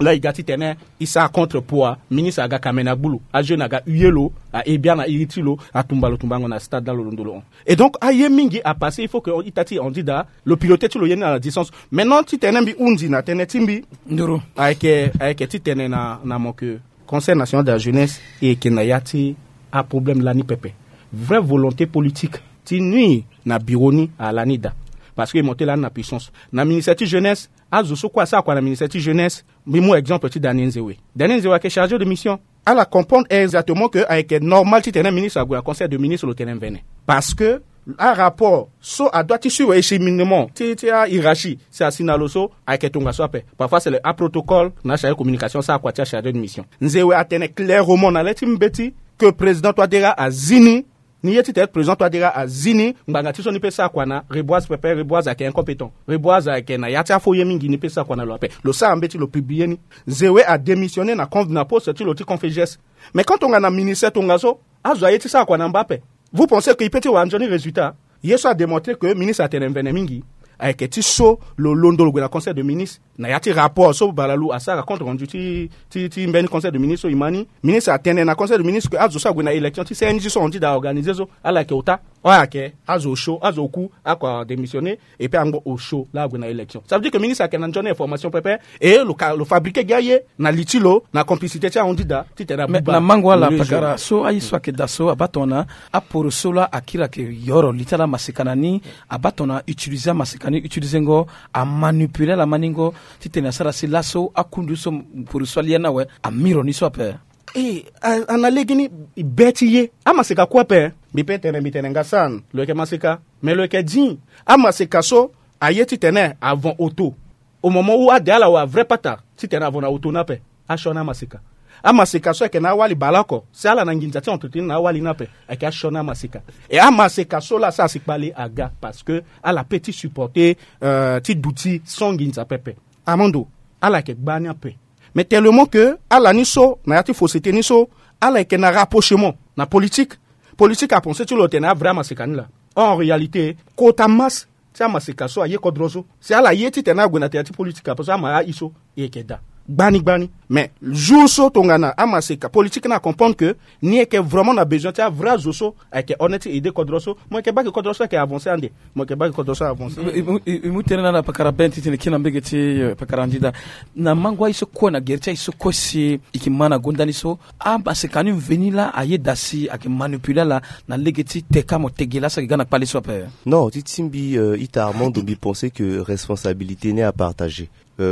La i ga titene i sara contre poids, ministre aga kamene agbu lo, ajeune aga huer lo, ahe biani na iri ti lo, atumba lo tumbango na stade la lo londo lo hon. Et donc aye mingi apasser, il faut que ita ti handi daa lo piloter ti lo ye ni à la distance. Maintenant titene mbi hunzi na tënë ti mbi, nduru, ayeke, ayeke titene na, na mo que Conseil national de la jeunesse e yeke na ya ti aproblème lani pepe. Vraie volonté politique ti nuire na bureau ni alani daa. Parce que e monter lani na puissance na ministère ti jeunesse. Azo so kue asara kua na ministère ti jeunesse, mbi mu exemple ti Daniel Nzewe. Daniel Nzewe ayeke chargé de mission. Ala comprendre exactement que ayeke normal titene ministre ague na conseil de ministre lo tene mvene. Parce que arapport so adoit ti suivre acheminement ti, ti ahiérarchie si asi na lo so, ayeke tongaso ape. Parfois c'est le aprotocole na achargé communication asara kua ti achargé de mission. Nzewe atene clairement na le ti mbeti que président Touadéra azi ni. Ni ye titene président Touadéra azi ni, ngbanga ti so ni pe sara kua na Reboise pepe. Reboise ayeke incompétent. Reboise ayeke na ya ti afaux ye mingi, ni pe sara kua na lo ape. Lo sara mbeti lo publier ni. Nzewe adémissionner na conf, na poste ti lo ti confégesse. Mais quand tongana ministère tongaso, azo aye ti sara kua na mba ape. Vous pensez que i pe ti wara nzoni résultat? Ye so adémontrer que ministre atene mvene mingi ayeke ti so lo londo lo gue na conseil de ministre na ya ti rapport so Balalou asara, compte rendu ti, ti, ti mbeni conseil de ministre so i ma ni. Ministre atene na conseil de ministre que azo so ague na élection ti C N J so handi daa aorganiser so, ala yeke ota. Ala yeke azo osio, azo oku, akua démissionner. Et puis angbo osio la ague na élection. Ça veut dire que ministre ayeke na nzoni information pepe. Et lo ka, lo fabriquer gi aye na li ti lo, na complicité ti ahandi daa titene abuba. Mais na mango ala pakara so aye so ayeke daa so abaa tongana aporo so laa akiri ayeke yoro li ti ala amaseka na ni, abaa tongana utiliser amaseka ni, utiliser ngo, amanipuler ala maningo titene asara si laso akundu so poro so alia ni awe, amiro ni so ape. Eh, a, a na legeni, i be ti ye. Amaseka kue ape. Mbi pe tene, mbi tene nga san lo yeke maseka, mais lo yeke di amaseka so aye titene avant auto. Au moment où ade ala wa vrai pata titene avant na auto ni ape, asioni amaseka. Amaseka so ayeke na awali baleoko, si ala na nginza ti entretenir na awali ni ape, ayeke asioni amaseka. Et amaseka so laa asara si kpale aga parce que ala pe ti supporter, euh, ti duti sans nginza pepe. Amando, ala yeke gbani ape. Mais tellement que ala ni so na ya ti fausseté ni so, ala yeke na rapprochement na politique. Politique apenser ti lo tene avrai amaseka ni laa. Or en réalité kota masse ti amaseka so aye kodro so. Si ala ye titene ague na tere ti politique ape so ama aye so, e yeke daa gbani gbani. Mais jour so tongana amaseka politique ni acomprendre que ni yeke vraiment na besoin ti avrai azo so ayeke honnête ti aider kodro so, mo yeke baa ke kodro so ayeke avancer ande. Mo yeke baa ke kodro so avancer. E mu tene na ala pakara ben titene kina mbege ti pakara ndida na mango aye so kue na gere ti aye so kue si e ke ma na gonda ni so, amaseka ni mveni laa ayeda si ayeke manipule ala na lege ti teka mo tege laa so ayeke ga na kpale so ape. Non, ti timbi ita armando mbi pense que responsabilité ni apartager.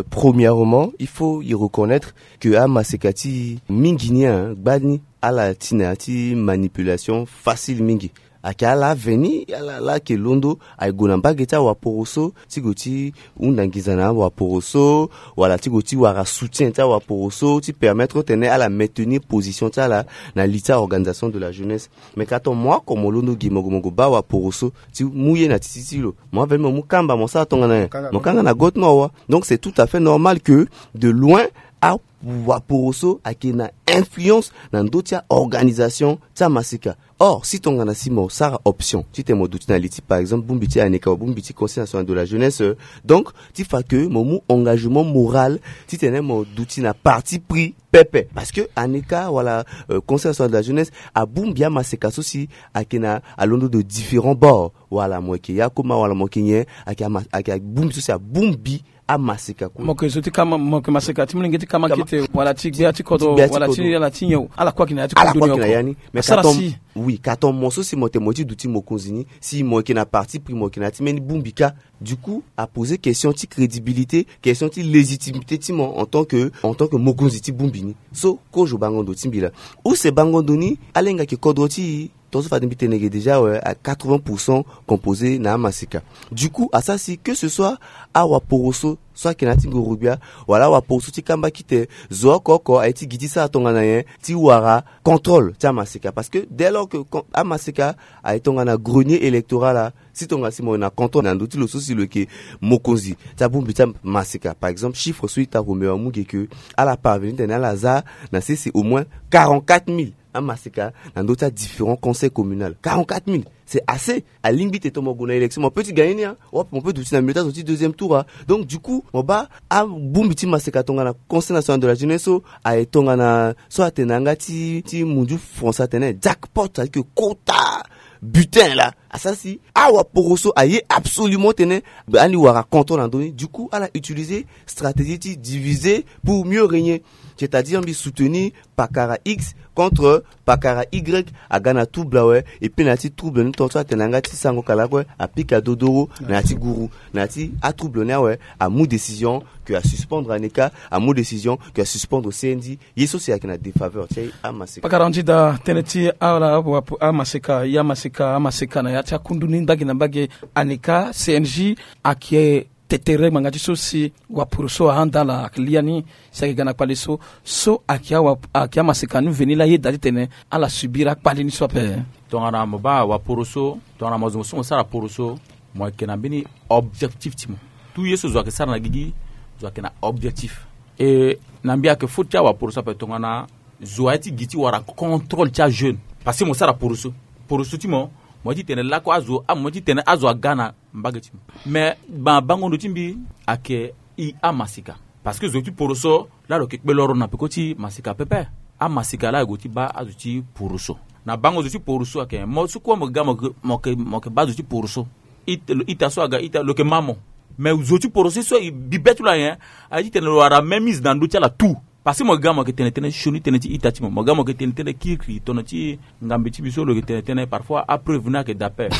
Premièrement, il faut y reconnaître que amaseka ti mingi ni, gbani ala ti na ya ti manipulation facile mingi. Ayeke ala aveni ala laa ayeke londo aye gue na mbage ti awaporo so ti gue ti hunda nginza na awaporo so, wala ti gue ti wara soutien ti awaporo so ti permettre tene ala maintenir position ti ala na li ti aorganisation de la jeunesse. Mais ka ton mo oko mo londo gi mo gue mo gue baa awaporo so ti mu ye na titi ti lo, mo aveni mo mu kamba mo sara tongana nyen? Mo kanga na gote mo awa. Donc c'est tout à fait normal que de loin awaporo so ayeke na influence na ndö ti aorganisation ti amaseka. Or si tongana si mo sara option titene mo duti na li ti par exemple bongbi ti aneka, bongbi ti conseil national de la jeunesse, donc ti fa ke mo mu engagement moral titene mo duti na parti pris pepe. Parce que aneka wala conseil national de la jeunesse abongbi amaseka so si ayeke na alondo de différents bords, wala mo yeke yakoma wala mo yeke nyen, ayeke bongbi so si abongbi amaseka kue. Mo yeke zo ti kama, mo yeke maseka ti molenge ti kama kete wala ti gbia ti kodro wala ti ala ti nyen? Ala kue ayeke na ya ti kodro ni oko. Mais asara si oui, ka ton mo so si mo yeke mo ye ti duti mokonzi ni, si mo yeke na parti pris, mo yeke na ya ti mbeni bongbi kâ. Du coup aposer question ti crédibilité, question ti légitimité ti mo en tant que, en tant que mokonzi ti bongbi ni. So kozo bango ndo ti mbi laa. Use bango ndo ni ala hinga yeke kodro ti e. Tongaso fade mbi tene ge déjà awe a quatre-vingts pour cent composé na amaseka. Du coup asara si que ce soit awaporo so so ayeke na ya ti ngorogbia wala awaporo so ti kamba kite, zo oko oko aye ti gi ti sara tongana nyen ti wara contrôle ti amaseka. Parce que dès lors que amaseka aye tongana grenier électoral laa, si tongana si mo yeke na contrôle na ndö ti lo so si lo yeke mokonzi ti abongbi ti amaseka. Par exemple chiffre so ita romeo amu ge ke ala parvenir tene ala za na sese au moins quarante-quatre mille amaseka na ndö ti adifférent conseil communal. Quarante-quatre mille, c'est assez. Alingbi te to mo gue na élection mo peut ti gagner ni a wapi mo peut duti na milieu ti azo ti deuxième tour a. Donc du coup mo baa abongbi ti maseka tongana conseil national de la jeunesse so aye tongana so atene na yanga ti ti mundu français atene jackpot, c'est-à-dire que kota butin laa. Asara si awaporo so aye absolument tene ani wara contrôle na ndö ni. Du coup ala utiliser stratégie ti diviser pour mieux régner, c'est-à-dire mbi soutenir pakara x contre pakara y. Aga na trouble awe. Et puis na ya ti trouble ni tongaso atene na yanga ti sango kala kue apika dodoro na ya ti guru na ya ti atrouble ni awe. Amu décision que asuspendre aneka, amu décision que asuspendre cnd. Ye so si ayeke na défaveur ti amaseka. Pakara ndida tënë ti ala amaseka ya amaseka amaseka na ya ti akundu ni ndagi na mbage. Aneka cng ayeke tetere ngbanga ti so si wapuru so ahanda ala ayeke lia ni si ayeke ga na kpale so. So ayeke amaseka ni mveni laa ayeda titene ala subir akpale ni so ape. Tongana mo baa wapuru so tongana mo zo mo so mo sara puru so mo yeke na mbeni objectif ti mo. Tout ye so zo ayeke sara na gigi zo ayeke na objectif. E na mbi ayeke faute ti awapuru so ape tongana zo aye ti gi ti wara contrôle ti ajeune. Parce que mo sara puru so puru so ti mo mo ye ti tene lako azo amo mo ye ti tene azo aga na mbage ti mo. Mais bango ndo ti mbi ayeke i amaseka. Parce que zo ti poro so laa lo yeke kpe loro na peko ti maseka pepe. Amaseka laa ague ti baa azo ti poro so na bango zo ti poro so ayeke mo so kue mo ga mo yeke baa zo ti poro so. Ita so aga ita lo yeke ma mo. Mais zo ti poro so so e bibe ti lo anyen aye ti tene lo wara même mise na ndö ti ala tout. Parce que mo ga mo yeke tene tënë sioni tënë ti ita ti mo mo ga mo yeke tene tënë kirikiri tongana ti ngambe ti mbi so lo yeke tene tënë parfois apreuve ni ayeke dape.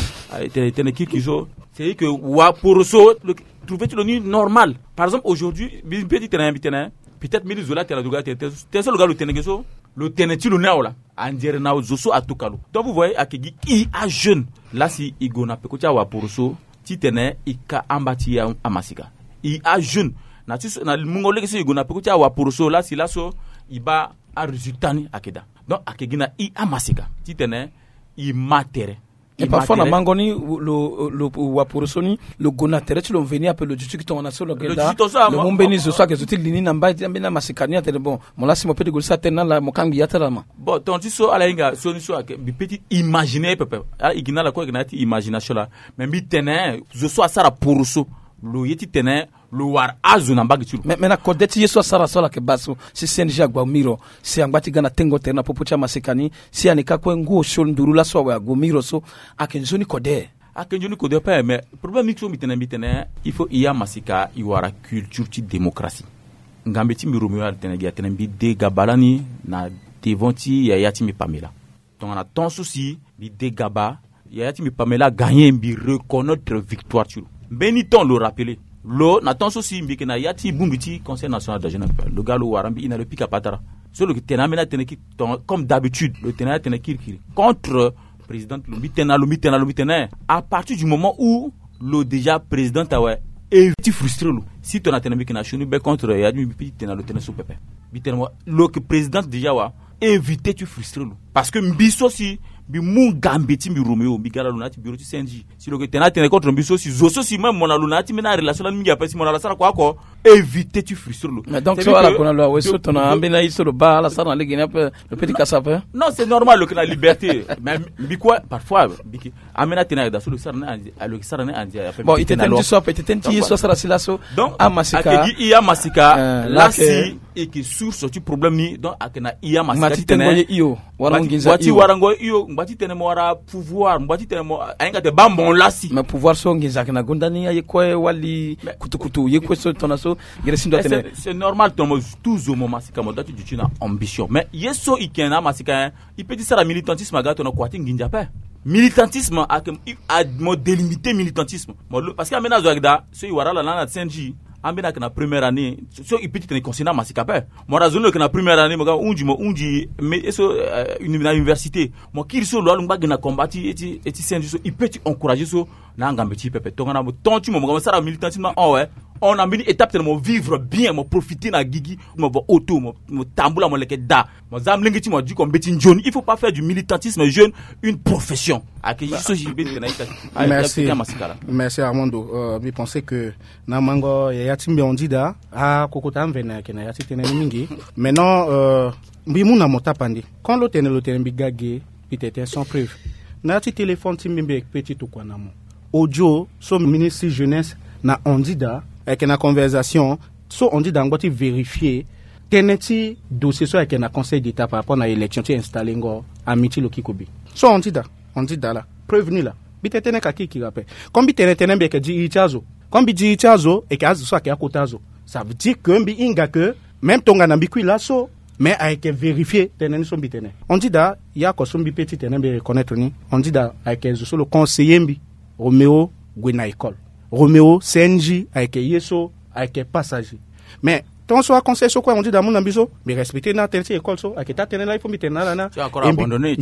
Tene tënë kirikiri so c'est que waporo so lo yeke trouve ti lo ni normal. Par exemple aujourd'hui mbi mpe ti tene mbi tene peut-être mbeni zo laa tene aduga tene tënë so lo ga lo tene ge so lo tene ti lo ni awe laa. Andiere na zo so atuka lo donc vous voyez ayeke gi i ajeune laa si i gue na peko ti awaporo so titene i ka amba ti amasika. I ajeune na ti so na mungo lege so i gue na peko ti awaporo so laa si laso i baa aresultat ni ayeke daa. Donc ayeke gi na i amasika titene i ma tere. E parfois na mango ni lo, lo wa poroso ni lo gue na tere ti lo mveni ape lo duti ki tongana so lo geda lo mu mbeni zo so ayeke zo ti li ni na mbai ti ambeni amasika ni atene bon, mo lasi mo pe ti gue li so atene na ala mo kangbi ya ti ala ma. Bon, tonga ti so ala hinga so ni so ayeke mbi pe ti imaginer pepe. Ala igi na ala kue ayeke na ya ti imagination laa. Mais mbi tene zo so asara poroso lo ye ti tene lo wara azo na mbage ti lo. Mais na kode ti ye so asara so ala yeke baa so si C N G agba miro si angba ti ga na tengo tere na popo ti amasika ni si ani ka kue ngu osio nduru laso awe ague miro so ayeke nzoni kode. Ayeke nzoni kode pe mais problème ni so mbi tene mbi tene il faut i amasika i wara culture ti démocratie. Ngambe ti mbi Roméo atene gi atene mbi de gaba lani na devant ti yaya ti mbi Pamela. Tongana temps so si mbi de gaba yaya ti mbi Pamela gagné mbi reconnaître victoire ti lo. Mbeni temps lo rappeler lo na temps so si mbi yeke na ya ti bongbi ti Conseil national de la jeunesse, lo ga lo wara mbi ina lo pika patara. So lo yeke tene ambeni atene ki comme d'habitude lo tene atene kirikiri contre président ti lo mbi tene na lo mbi tene na lo mbi tene à partir du moment où lo déjà président awe, éviter ti frustrer lo. Si tongana tene mbi yeke na sioni be contre ya ti mbi mbi pe ti tene na lo tene so pepe. Mbi tene mo lo yeke président déjà wa, éviter ti frustrer lo. Parce que mbi so si mbi mu ngambe ti mbi Roméo mbi ga na lo na ya ti bureau ti C N G. Si lo yeke tene atene contre mbi so si zo so si même mo na lo na ya ti mbeni arelation lani mingi ape si mo na lo asara kua oko, éviter ti frustrer lo. Mais donc so ala gue na lo awe so tongana ambeni aye so lo baa ala sara na lege ni ape, lo pe ti kasa ape. Non, c'est normal lo yeke na liberté. Mais mbi kue parfois mbi yeke ambeni atene ayeke daa so lo sara ni andi lo yeke sara ni andi ape. Bon, i tene ti so ape i tene ti ye so asara si laso. Donc amasika ayeke gi i amasika lasi. Eke source ti problème ni donc ayeke na i amasika ti tene ngba ti warango ye i o, ngba ti tene mo wara pouvoir, ngba ti tene mo ahinga te baa mo lasi. Mais pouvoir so nginza ayeke na gonda ni aye kue wali kutukutu ye kue so tongana so. Gere si ndo atene c'est normal tongana mo tout zo mo masika mo doit ti duti na ambition mais ye so i ke na amasika. I pe ti sara militantisme aga tongana kua ti nginza ape. Militantisme ayeke mo délimiter militantisme mo lo parce que ambeni azo ayeke daa so i wara ala lani na C N G. Ambeni ayeke na première année so i pe ti tene i considérer amasika ape. Mo wara zo ni lo yeke na première année mo ga mo hunzi mo hunzi mais ye so na université mo kiri so lo wara lo ngba gi na combat ti ye ti C N G so i pe ti encourager so. Na angambe ti pepe tongana mo ton ti mo mo ga mo sara militantisme awe. On na mbeni étape tene mo vivre bien mo profiter na gigi mo va auto mo tambula mo leke daa. Mo za molenge ti mo adiko mbeti nzoni il faut pas faire du militantisme jeune une profession. Ayeke ye so si mbeti tene ayeke. Merci. Merci Armando. Mbi pense que na mango yaya ti mbi Andida akokota amvene ayeke na ya ti tënë ni mingi. Maintenant mbi mu na mo tapande. Quand lo tene lo tene mbi ga ge mbi tene tënë sans preuve. Na ya ti téléphone ti mbi mbi yeke pe ti tokua na mo audio so ministre ti jeunesse na Andida ayeke na conversation so Andida angba ti vérifier tënë ti dossier so ayeke na Conseil d'État par rapport na élection ti installer ngo ami ti lo kikobe. So Andida Andida la preuve ni la. Mbi tene tënë ka kirikiri ape. Comme mbi tene tënë mbi yeke di iri ti azo. Comme mbi di iri ti azo eke azo so ayeke akota azo. Ça veut dire que mbi hinga que même tongana mbi kui laso mais ayeke vérifier tënë ni so mbi tene. Andida ya oko so mbi pe ti tene mbi reconnaître ni. Andida ayeke zo so lo conseiller mbi. Roméo gue na école. Roméo C N G ayeke ye so ayeke passager. Mais tant so aconseil so kue Andida amu na mbi so mbi respecter ni atënë ti école so ayeke taa tënë laa il faut mbi tene na ala ni.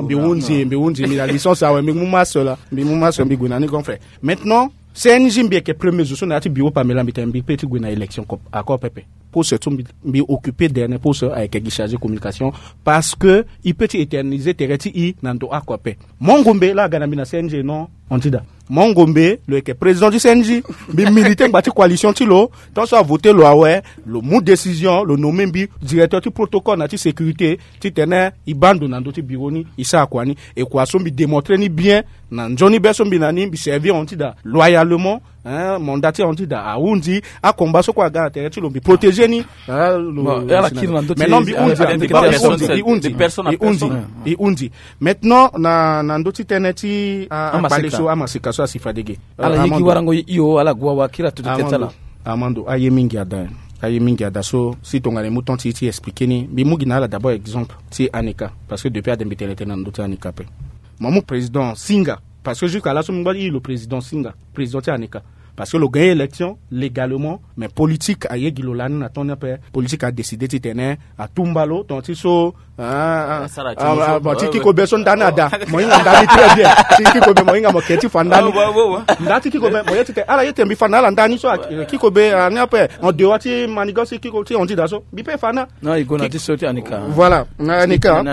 Mbi hunzi mbi hunzi mbi na licence awe mbi mu masse la mbi mu masse mbi gue na ni grand frère. Maintenant C N G mbi yeke premier zo so na ya ti bureau Pamela mbi tene mbi pe ti gue na élection encore pepe. Poste so mbi occuper dernier poste ayeke gi chargé communication. Parce que i pe ti éterniser tere ti i na ndo oko ape. Mo ngombe laa aga na mbi na C N G non Andida. Mo ngombe lo yeke président ti C N G. Mbi militer ngba ti coalition ti lo. Tant so avoter lo awe lo mu décision lo nommer mbi directeur ti protocole na ti sécurité. Titene i baa ndo na ndö ti bureau ni i sara kua ni. E kua so mbi démontrer ni bien na nzoni be so mbi na ni mbi servir Andida loyalement. Mandat ti Andida ahunzi. Akomba so kue aga na tere ti lo mbi protéger ni. Lo ala kiri na ndö ti. Maintenant mbi hunzi mbi hunzi mbi hunzi. Maintenant na na ndö ti tënë ti akpale so amaseka so asi fade ge. Ala ye gi warango ye hio ala gue awa kiri atutu tënë ti ala. Armando aye mingi ada. Aye mingi ada so si tongana e mu temps ti e ti expliquer ni mbi mu gi na ala d'abord exemple ti Aneka. Parce que depuis ade mbi tene tënë na ndö ti Aneka ape. Mo mu président Singa. Parce que jusqu'à laso mbi ngba ti iri lo président Singa président ti Aneka. Parce que lo gagner élection légalement. Mais politique aye gi lo lani na temps ni ape. Politique adécider titene atumba lo tongana ti so. Ti kikobe so nda ni ada mo hinga nda ni très bien. Ti kikobe mo hinga mo ke ti fa nda ni. Nda ti kikobe mo ye titene ala ye tene mbi fa na ala nda ni so. Kikobe ani ape en dehors ti manigan si kikobe ti Andida so mbi pe fa na. Voilà na Aneka.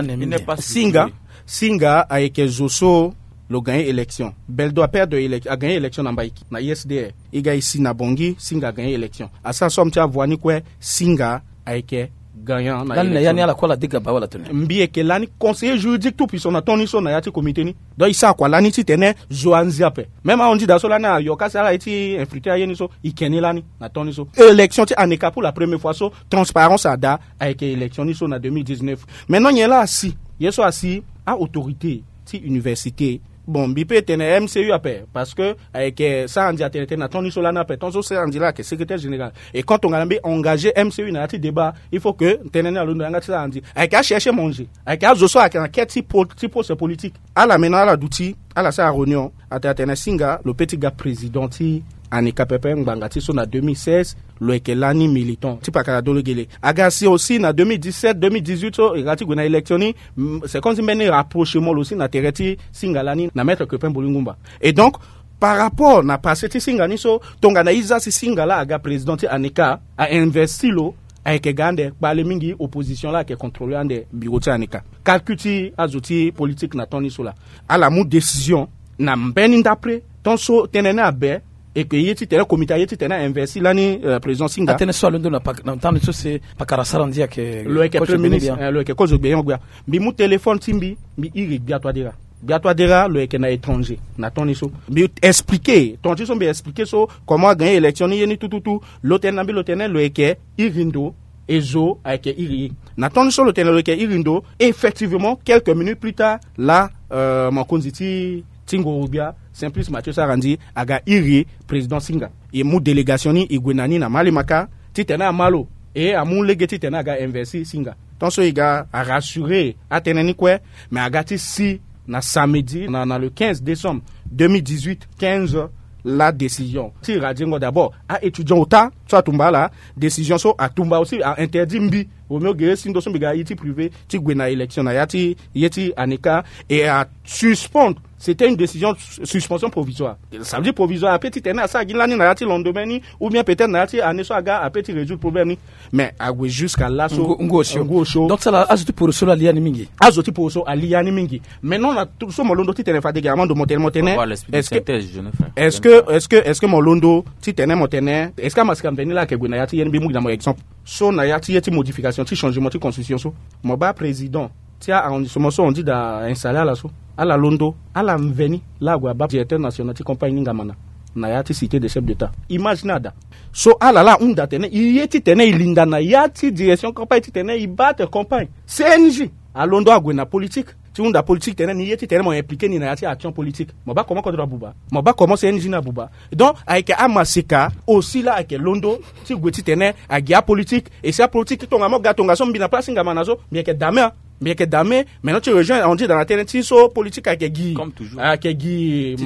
Singa. Singa ayeke zo so lo gagné élection. Beldo aperdre élec- agagné élection na Mbaïki na U S D R. E ga e si na Bangui, Singa agagné élection. Asara somme ti avoine ni kue, Singa ayeke gagnant na élection. Lani na ya ni ala kue ala dega baa wala tene? Mbi yeke lani conseiller juridique tout puissant na temps ni so na ya ti comité ni. Donc e sara kua lani titene zo anzi ape. Même ahon-nzida so lani ayoka si ala ye ti infiltrer aye ni so, e ke ni lani na temps ni so. Élection ti ANECA pour la première fois so transparence ada, ayeke élection ni so na deux mille dix-neuf. Maintenant nyen laa asi? Ye so asi, a-autorité ti université. Bon, mbi peut tene M C U ape, parce que ayeke sara ndia tene tene na temps ni so lani ape, tant so sara ndia laa ayeke secrétaire général. Et quand tongana mbi engagé M C U na ya ti débat, il faut que tënë ni alondo yanga ti sara ndia. Ayeke achercher manger, ayeke azo so ayeke na quête ti po- ti poste politique. Ala mena ala duti, ala sara réunion, atene atene Singa lo peut ti ga président ti ANECA pepe ngbanga ti so na deux mille seize, lo yeke lani militant ti pakara dolo gele. Aga si aussi na deux mille dix-sept, deux mille dix-huit so e ga ti gue na élection ni, mm, c'est comme si mbeni rapprochement lo si na tere ti Singa lani na Maître Crépin Mbolingumba. Et donc, par rapport na passé ti Singa ni so, tongana e za si Singa laa aga président ti ANECA, a investi lo, ayeke ga ande kpale mingi, opposition laa ayeke contrôler ande bureau ti ANECA. Calcul ti azo ti politique na temps ni so laa, ala mu décision na mbeni ndapre, tant so tënë ni abe, et que ye titene comité aye titene a investi lani, euh, président Singa. Atënë so alondo na pak- na temps ni so si pakara sara ndia ayeke lo yeke kozo premier ministre, eh, lo yeke kozo gbia gbia. Mbi mu téléphone ti mbi, mbi iri Gbia Touadéra. Gbia Touadéra lo yeke na étranger na temps ni so. Mbi expliquer, temps ti so mbi expliquer so comment agagné élection ni, ye ni tout tout tout. Lo tene na mbi, lo tene lo yeke iri ndo, e zo ayeke iri ye. Na temps ni so lo tene lo yeke iri ndo, effectivement, quelques minutes plus tard, laa, euh, mokonzi ti ti nguru-gbia, Simplice Mathieu Sarandji, aga iri président Singa. E mu délégation ni, e gue na ni na Malimaka, titene ama lo, e amu lege titene aga investi Singa. Tant so e ga arassurer atënë ni kue, mais aga ti si na samedi, na, na le quinze décembre deux mille dix-huit, quinze heures, la décision ti Radiengo d'abord, a-étudiant ota so atumba ala, décision so atumba aussi a interdit mbi, Roméo Guerrier Sindo so mbi ga ye ti privé ti gue na élection na ya ti ye ti ANECA, et a suspendre. C'était une décision, suspension provisoire. Ça veut dire provisoire. Ape titene asara gi lani na ya ti lendemain ni, ou bien peut-être na ya ti année so aga, ape ti résoudre problème ni. Mais ague jusqu'à laso. Ngu, ngu osio. Ngu osio. Donc ça là, azo ti poroso la lia ni mingi. Azo ti poroso alia ni mingi. Maintenant na tout so mo londo titene fade ga amando mo tene mo tene. Voilà, l'esprit de synthèse, je ne fais. Est-ce que, est-ce que, est-ce que mo londo titene mo tene, est-ce que amasika mveni la ayeke gue na ya ti ye ni? Mbi mu gi na mo exemple. So na ya ti ye ti modification ti changement ti constitution so, mo baa président ti a-arrondissement so on dit da installer ala so, ala londo, ala mveni la ague abaa directeur national ti campagne ni ngamana na ya ti cité des chefs d'État. Image ni ada. So ala la ahunda tene e ye titene e linda na ya ti direction campagne titene e baa ate campagne. C N J alondo ague na politique ti hunda politique tene ni ye titene mo impliquer ni na ya ti action politique. Mo baa comment kodro abuba, mo baa comment C N J ni abuba. Donc ayeke amaseka aussi la ayeke londo ti gue titene agi apolitique. Et si apolitique ti tongaso mo ga tongaso mbi na place ti ngamana so, mbi yeke dame, mbi yeke dame. Maintenant ti rejoindre on dit dans la tene ti so politique ayeke gi, ayeke gi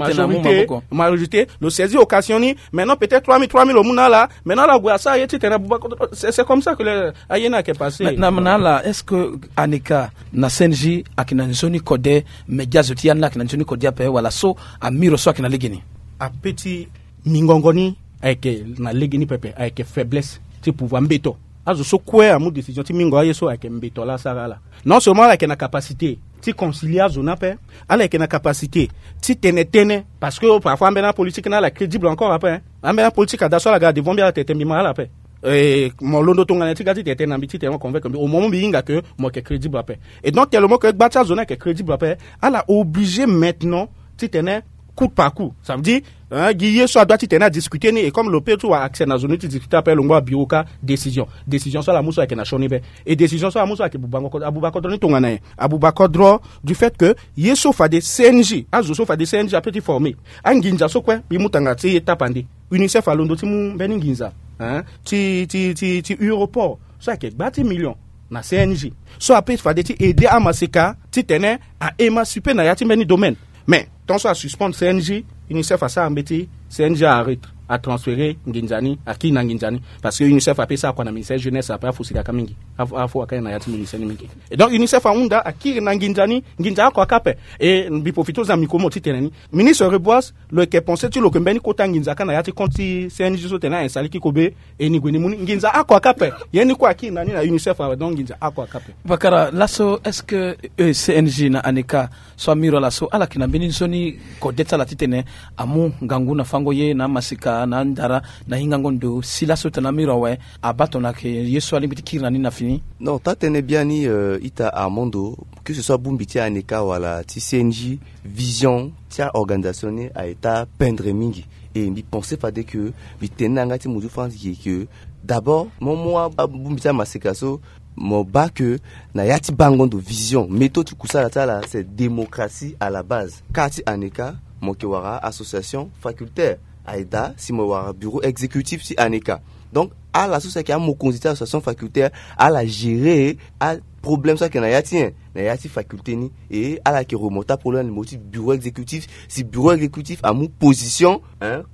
majorité. Lo saisi occasion ni. Maintenant peut-être trois mille, trois mille lo mu na ala. Maintenant ala gue asara ye titene abuba. C'est, c'est comme ça que le aye ni ayeke passé. Mais na, na ala, est-ce que ANECA na C N J ayeke na nzoni kode? Média zo ti ya ni ayeke na nzoni kode ape wala so amiro so ayeke na legeni? Ape ti mingongo ni ayeke na legeni pepe, ayeke faiblesse ti pouvoir, mbeto. Azo so kue amu décision ti mingo aye so ayeke mbeto la asara ala. Non seulement ala yeke na capacité ti concilier azo ni ape, ala yeke na capacité ti tene tënë, parce que parfois ambeni apolitique ni ala crédible encore ape, hein. Ambeni apolitique ada so ala ga devant mbi ala tene tene mbi ma ala ape. Eh, mo londo tongana ti ga ti tene tene na mbi titene mo convaincre mbi au moment mbi hinga que mo yeke crédible ape. Et donc tellement que gba ti azo ni ayeke crédible ape, ala obligé maintenant titene coup par coup. Ça veut dire, hein, gi ye so adua titene adiscuter ni, et comme lo peut ti wara accès na zo ni ti discuter ape, lo ngba bureau ka décision. Décision so ala mu so ayeke na sioni be. Et décision so ala mu so ayeke bubango kodro, abuba kodro ni tongana nyen? Abuba kodro du fait que ye so fade C N J, azo so fade C N J ape ti former. Anginza so kue mbi mu tanga ti ye tapande. UNICEF alondo ti mu mbeni nginza, hein, ti, ti, ti, ti aéroport so ayeke gba ti million na C N J so ape fade ti aider amaseka titene a-émanciper na ya ti mbeni domaine. Mais tant so asuspendre C N J, UNICEF asara mbeti, C N J a-arrêter, atransférer nginza ni, akiri na nginza ni. Parce que UNICEF ape sara kua na ministère jeunesse ape, afusi kaka mingi. Afo waka ye na ya ti ministre ni mingi. Et donc unicef ahunda akiri na nginza ni, nginza oko aka ape. E mbi profite ozia micro mo titene ni, ministre Reboise, lo yeke pense ti lo yeke mbeni kota nginza kâ na ya ti compte ti cng so tene a installe ki kobe? E ni gue ni mu ni nginza oko aka ape. Ye ni kue akiri na ni na unicef awe, donc nginza oko aka ape. Bakara laso, est-ce que cng na aneka so amiro ala so ala yeke na mbeni nzoni kode ti ala titene amu ngangu na fango ye na amasika na andara na hingango ndo si laso tene amiro awe, abaa tongana ayeke ye so alingbi ti kiri na ni na fini? Non, taa-tënë biani, ita Armando, que ce soit abongbi ti aneka wala ti cng, vision ti a-organisation ni aye taa pendre mingi. E mbi pense fade ke mbi tene na yanga ti muzu france ye ke d'abord mo mu abongbi ti amaseka so, mo baa ke na ya ti bango ndo vision méthode ti kusala ti ala c'est démocratie à la base. Kâ ti aneka mo yeke wara association facultaire, aye daa si mo wara bureau exécutif ti aneka. Donc ala so si ayeke amokonzi ti association facultaire, ala gérer aproblème so ayeke na ya ti nyen, na ya ti faculté ni. E ala yeke remonter aproblème na niveau ti bureau exécutif. Si bureau exécutif amu position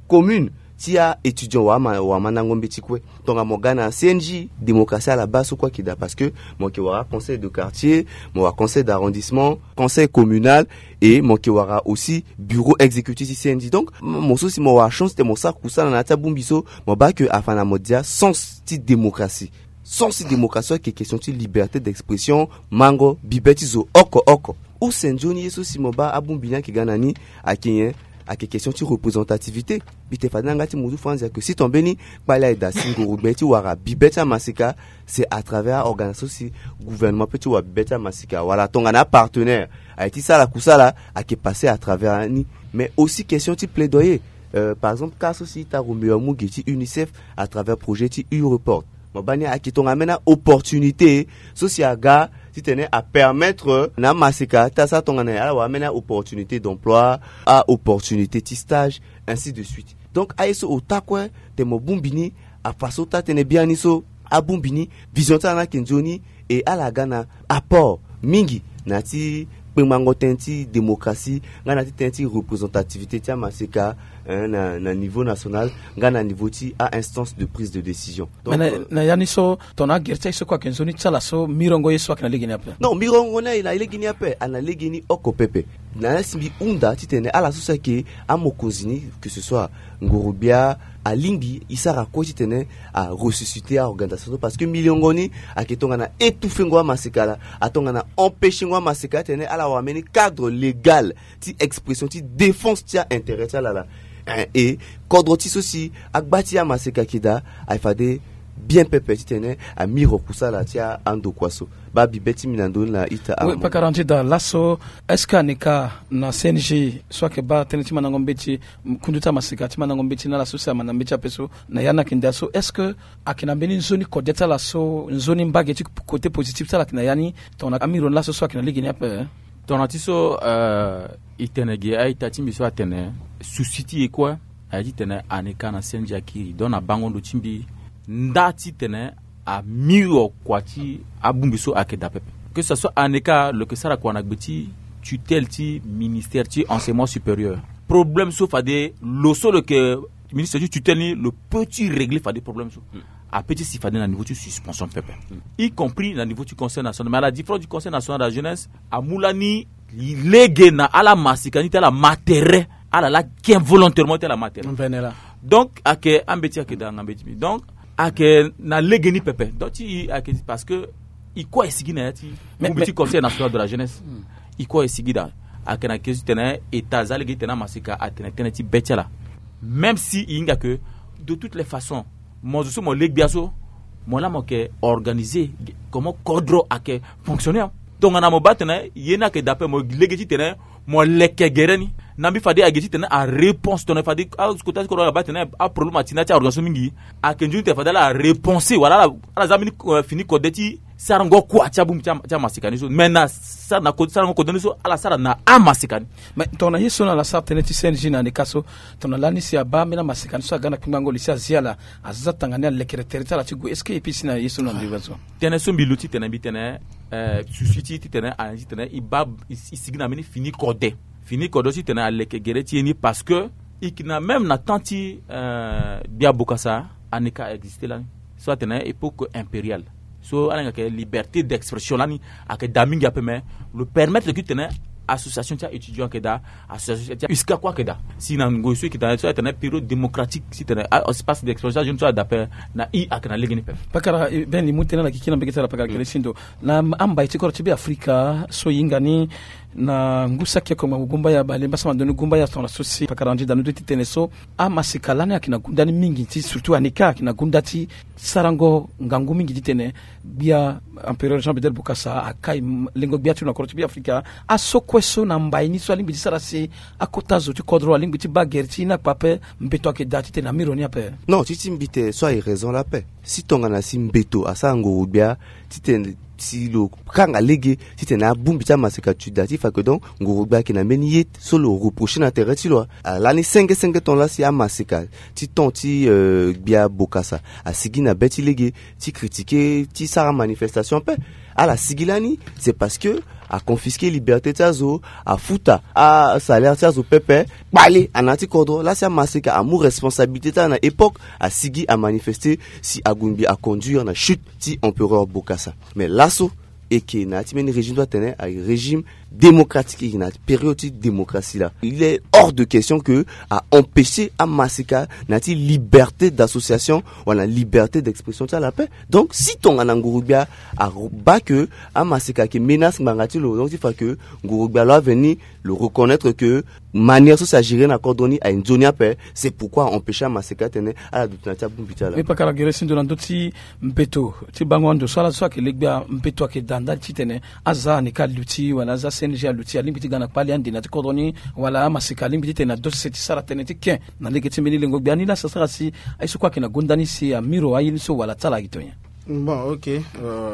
commune ti a-étudiant wala amandango mbeti kue. Tongana mo ga na cng, démocratie à la base so kue ayeke daa parce que mo yeke wara conseil de quartier, mo wara conseil d'arrondissement, conseil communal, e mo yeke wara aussi bureau exécutif ti cng. Donc mo so si mo wara chance ti tene mo sara kusala na ya ti abongbi so, mo baa ke afa na mo dia sens ti démocratie. Sens ti démocratie so ayeke question ti liberté d'expression, mango bibe ti zo oko oko. Use nzoni ye so si mo baa abongbi ni ayeke ga na ni, ayeke nyen? Ayeke question ti représentativité. Mbi tene fade na yanga ti muzu franzi ayeke si ton mbeni kpali aye daa si ngoro gbe ti wara bibe ti amaseka, c'est à travers a-organisation so si gouvernement peut ti wara bibe ti amaseka wala tongana apartenaire aye ti sara kusala, ayeke passer à travers ni. Mais aussi question ti plaidoyer, par exemple kâ so si ita Roméo amu ge ti unicef à travers projet ti u-report, mo baa ni ayeke tongana ambeni a-opportunité so si aga titene apermettre na amaseka ti asara tongana nyen, ala wara ambeni a-opportunité d'emploi, a-opportunité ti stage, ainsi de suite. Donc aye so ota kue tene mo bongbi ni, afa so taa-tënë biani so abongbi ni, vision ti ala ni ayeke nzoni. E ala ga na apport mingi na ya ti kpengbango tënë ti démocratie nga na ya ti tënë ti représentativité ti amaseka, na niveau national nga na niveau ti a-instance de prise de décision. Mais na ya ni so tongana agere ti aye so kue ayeke nzoni ti ala so mirongo ye so ayeke na legeni ape? Non, mirongo ni aye na legeni ape, aye na legeni oko pepe. Na ya si mbi hunda titene ala so si ayeke amokonzi ni, que ce soit ngorogbia, alingbi e sara kue titene aressusciter a-organisation so parce que mirongo ni ayeke tongana étouffer ngo amaseka laa, atongana empêcher ngo amaseka titene ala wara mbeni cadre légal ti expression ti défense ti a-intérêt ti ala laa. E kodro ti so si agba ti amaseka ayeke daa, aye fade bien pepe titene amiro kusala ti andokua so. Baa bibe ti mbi na ndoni laa ita. Armand, pakara nzeda laso, est-ce que aneka na cng so ayeke baa tënë ti mandango mbeti, kundu ti amaseka ti mandango mbeti na ala so si amanda mbeti ape so na ya ni ayeke ndia so, est-ce que ayeke na mbeni nzoni kode ti ala so, nzoni mbage ti côté positif ti ala ayeke na ya ni tongana amiro ni laso so ayeke na legeni ape? Tongana ti so e tene ge a-ita ti mbi so atene souci ti e kue aye titene aneka na cng akiri. Donc na bango ndo ti mbi nda titene amiro kua ti abongbi so ayeke daa pepe. Que ce soit aneka lo yeke sara kua na gbe ti tutelle ti ministère ti enseignement supérieur. Problème so fade lo so lo yeke ministre ti tutelle ni lo peut ti régler fade problème so. Ape ti si fade na niveau ti suspension pepe, y compris na niveau ti conseil national, mais à la différence du conseil national de la jeunesse, amu lani lege na ala masika ni ti ala ma tere, ala la ke volontairement ti ala ma tere. Donc ayeke ambeti ayeke daa nga mbeti mbi, donc ayeke na lege ni pepe. Donc ti e ayeke parce que e kue aye sigi na ya ti bongbi ti conseil national de la jeunesse. E kue aye sigi daa. Ayeke na ke so ti tene eta aza lege ti tene amasika atene tënë ti be ti ala. Même si e hinga ke de toutes les façons mo zo so mo le gbia so, mo laa mo yeke organiser comment kodro ayeke fonctionner. Tongana mo baa tene ye ni ayeke daa ape, mo lege ti tene mo leke gere ni. Na mbi fade ayeke ti tene aréponse tongana fade akota ti kodro abaa tene aproblème ati na ya ti organisation mingi. Ayeke nzoni tene fade ala réponse wala ala za mbeni fini kode ti sarango kua ti abongbi ti amasika ni so. Mais na sarango kode ni so ala sara na amasika ni. Mais tongana ye so na ala sara tënë ti cng na aneka so, tongana lani si abaa ambeni amasika ni so aga na kpingbango li si azi ala, aza tanga ni alekere tere ti ala ti gue. Est-ce que e pii si na ye so na ndiri so? Tënë so mbi luti titene mbi tene souci ti titene ala ni titene e baa e sigi na mbeni fini kode. Fini kode so titene aleke gere ti ye ni parce que e yeke na même na temps ti gbia bokasa aneka existe lani so atene époque impériale. So ala yeke liberté d'expression lani ayeke daa mingi ape, mais lo permettre ti tene association ti a étudiant ayeke daa, association ti a uska kue ayeke daa si na ngoi so ayeke daa so atene période démocratique si tene espace d'expression ti ajeune so ada ape. Na i ayeke na legeni pepe. Pakara ben li mu tënë na gigi na mbege ti ala pakara gere sindo na ambai ti koro ti be afrika so e hinga ni na ngu saki oko ngbanga gumbaya bale mbasama ndoni gumbaya tonga so si pakara andi danu ti tene so amaseka lani ayeke na gunda ni mingi ti surtout anika ayeke na gunda ti sarango ngangu mingi titene gbia empereur jean bedel bokasa akai lengo gbia ti lo na koro ti be afrika. Aso kue so na mbai ni so alingbi ti sara si akota zo ti kodro alingbi ti baa gere ti na kpa ape mbeto ayeke daa titene amiro ni ape. Non ti ti mbi tene so aye raison la ape si tongana si mbeto asara ngoro gbia titene si lo kanga lege titene abongbi ti amaseka ti da ti fa ke donc ngoro gbia ayeke na mbeni ye so lo reprocher na tere ti lo. Alani senge senge ton la si amaseka ti ton ti gbia bokasa asigi na be ti lege ti critiquer ti sara manifestation ape. Ala sigi lani c'est parce que aconfisquer liberté ti azo, afuta asalaire ti azo pepe kpale ana ti kodro la si amaseka amu responsabilité ti ala na époque asigi amanifester si agungbi aconduire na chute ti empereur bokasa. Mais laso eke na ya ti mbeni régime so atene aye régime démocratique eke na période ti démocratie la il est hors de question que aempêcher amaseka na ya ti liberté d'association wala na liberté d'expression ti ala ape. Donc si tongana nguru gbia abaa ke amaseka ayeke menace ngbanga ti lo donc ti fa ke nguru gbia lo aveni lo reconnaître ke manière so si agérer na kodro ni aye nzoni ape. C'est pourquoi aempêcher amaseka atene ala duti na ya ti abongbi ti ala. Mbi pakara gere si ndo na ndö ti mbeto ti bango ando so ala so ayeke le gbia mbeto ayeke daa ndali titene aza anika aluti wala aza cng aluti alingbi ti ga na kpali ande na ya ti kodro ni wala amaseka alingbi titene adosi se ti sara tënë ti ken na lege ti mbeni lengo gbia ni laa sa sara si aye so kue ayeke na gonda ni si amiro aye ni so wala ti ala ayeke to nyen? Bon, ok.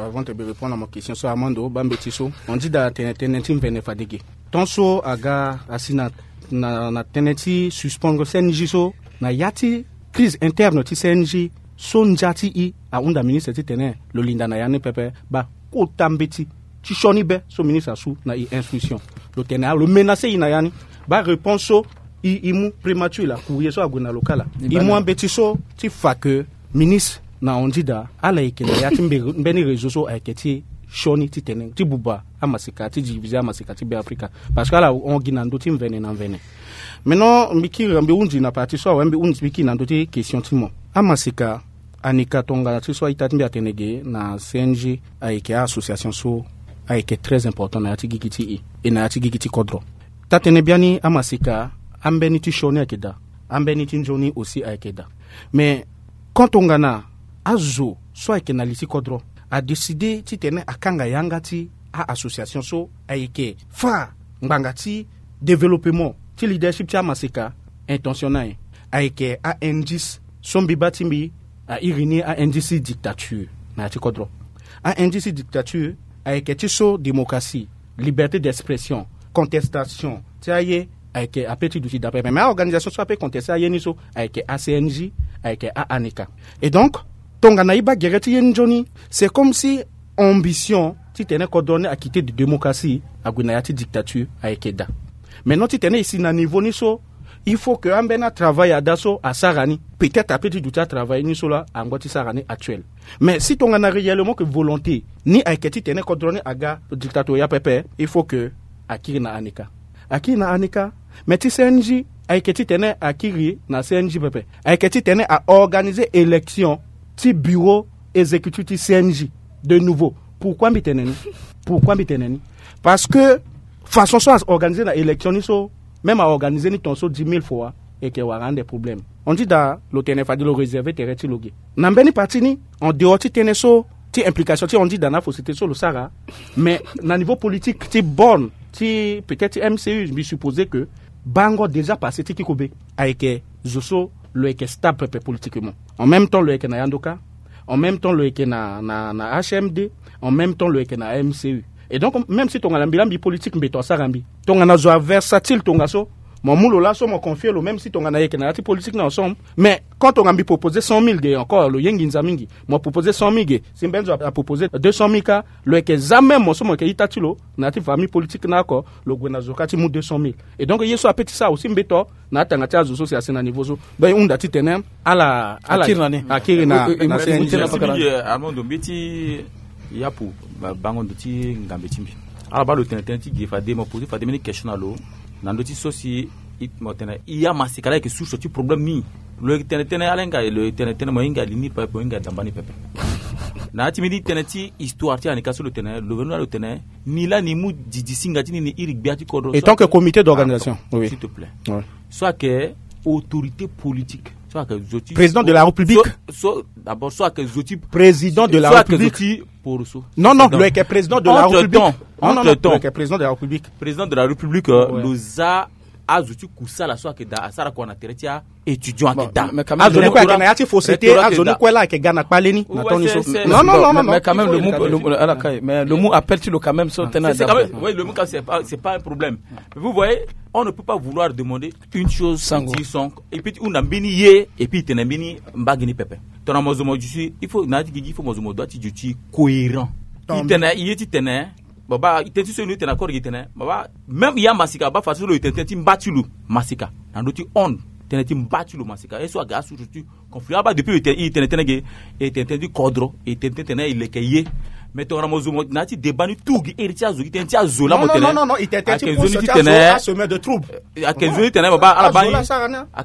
Avant te be répondre na mo question so amando bambeti so on dit daa tene tënë ti mvene fadege ton so aga asi na na tënë ti suspendre cng so na ya ti crise interne ti cng so ndia ti i ahunda ministre titene lo linda na ya ni pepe. Baa kota mbeti ti sioni be so ministre asu na i instruction lo tene lo menacer i na ya ni. Baa réponse so i i mu prémature la courrier so ague na lo kala i mu ambeti so ti fa ke ministre na hon ti daa ala yeke na ya ti mbeni réseau so ayeke ti sioni titene ti buba amaseka ti divise amaseka ti be afrika. Parce que ala hon gi na ndö ti mvene na mvene. Maintenant mbi kiri mbi hunzi na partie so awe mbi hunzi mbi kiri na ndö ti question ti mo amaseka anika tongana ti so a-ita ti mbi atene ge na cng ayeke a-association so ayeke très important na ya ti gigi ti i e na ya ti gigi ti kodro. Taa-tënë biani amaseka ambeni ti sioni ayeke daa. Ambeni ti nzoni aussi ayeke daa. Mais quand tongana azo so ayeke na li ti kodro adécider titene akanga yanga ti a-association so ayeke fâ ngbanga ti développement ti leadership ti amaseka. Intention na nyen? Ayeke a-indice so mbi baa ti mbi airi ni a-indice ti dictature na ya ti kodro. A-indice ti dictature ayeke ti so démocratie, liberté d'expression, contestation ti aye ayeke ape ti duti daa pepe mais a-organisation so ape contester aye ni so ayeke a-cng, ayeke a-anika. Et donc tongana i baa gere ti ye ni nzoni c'est comme si ambition titene kodro ni akite de démocratie ague na ya ti dictature ayeke daa. Maintenant titene e si na niveau ni so il faut ke ambeni atravail ada so asara ni. Peut-être ape ti duti atravail ni so laa ango ti sara ni actuel. Mais si tongana réellement ke volonté ni ayeke titene kodro ni aga dictatoria pepe il faut ke akiri na anika. Akiri na anika. Mais ti cng ayeke titene akiri na cng pepe ayeke titene a-organiser élection ti bureau exécutif ti cng de nouveau. Pourquoi mbi tene ni? Pourquoi mbi tene ni? Parce que façon so a-organiser na élection ni so même a-organiser ni ton so dix mille fois eke wara ande problème. On dit daa lo tene fade lo réserver tere ti lo ge na mbeni partie ni en dehors ti tënë so ti implication ti on dit daa na faussité so lo sara. Mais na niveau politique ti borne ti peut-être ti mcu mbi supposer que bango déjà passé ti kiko be ayeke zo so lo yeke stable pepe politiquement. En même temps lo yeke na yandoka. En même temps lo yeke na na na hmd. En même temps lo yeke na mcu. Et donc même si tongana mbi la mbi politique mbeto asara mbi tongana zo aversatile tongaso mo mu lo laso mo confie lo même si tongana yeke na ya ti politique na ensemble. Mais quand tongana mbi proposer cent mille ge encore lo ye nginza mingi. Mo proposer cent mille ge si mbeni zo aproposer deux cent mille kâ. Lo yeke za même mo so mo yeke ita ti lo na ya ti famille politique na oko lo gue na zo kâ ti mu deux cent mille. Et donc ye so ape ti sara aussi mbeto na atanga ti azo so si asi na niveau so. Donc e hunda titene ala ala akiri na ni akiri na na cng. Armando mbi ti Yapu, bango ndo ti ngambe ti mbi. Ala baa lo tene tënë ti ge fade mo poser fade mbeni question na lo, na ndö ti so si mo tene i amasika laa ayeke source ti problème ni. Lo yeke tene tënë ala hinga lo yeke tene tënë mo hinga li ni pepe mo hinga damba ni pepe. Na ya ti mbeni tënë ti histoire ti anika so lo tene lo venu laa lo tene ni laa ni mu didi singa ti ni ni iri gbia ti kodro. Et tant que comité d'organisation, oui. S'il te plaît. Ouais. So ayeke autorité politique, so ayeke zo ti président de la République. So d'abord so ayeke zo ti président de la République. Poroso. Non non, lo yeke président de la République. Entre temps, président de la République. Président de la République, lo za azo ti kusala so ayeke daa asara kua na tere ti a étudiant ayeke daa. Azo ni kue ayeke na ya ti fausseté, azo ni kue laa ayeke ga na kpale ni na temps ni so. Non non non non. Mais quand même le mot, le mot appel ti lo quand même so tena. Lo mot ka c'est pas un problème. Vous voyez, on ne peut pas vouloir demander une chose sans dire son, et puis ti hunda mbeni ye et puis tene mbeni mbage ni pepe. Tongana mo zo mo duti il faut na ya ti gigi il faut mo zo mo doit ti duti cohérent. I tene ye ti tene baba i tene ti so i no i tene accord gi tene baba. Même ya masika baba fade so lo i tene tënë ti mba ti lo masika na ndö ti onde. Tënë ti mba ti lo masika ye so aga asource ti conflit aba depuis i tene tënë ge. I tene tënë ti kodro i tene tënë tene i leke ye. Mais tongana mo zo mo na ya ti débat ni tour gi iri ti azo gi tene ti azo laa mo tene. Non non non non, i tene tënë ti poso ti azo a semaine de trouble. Ayeke nzoni tene baba ala baa ni.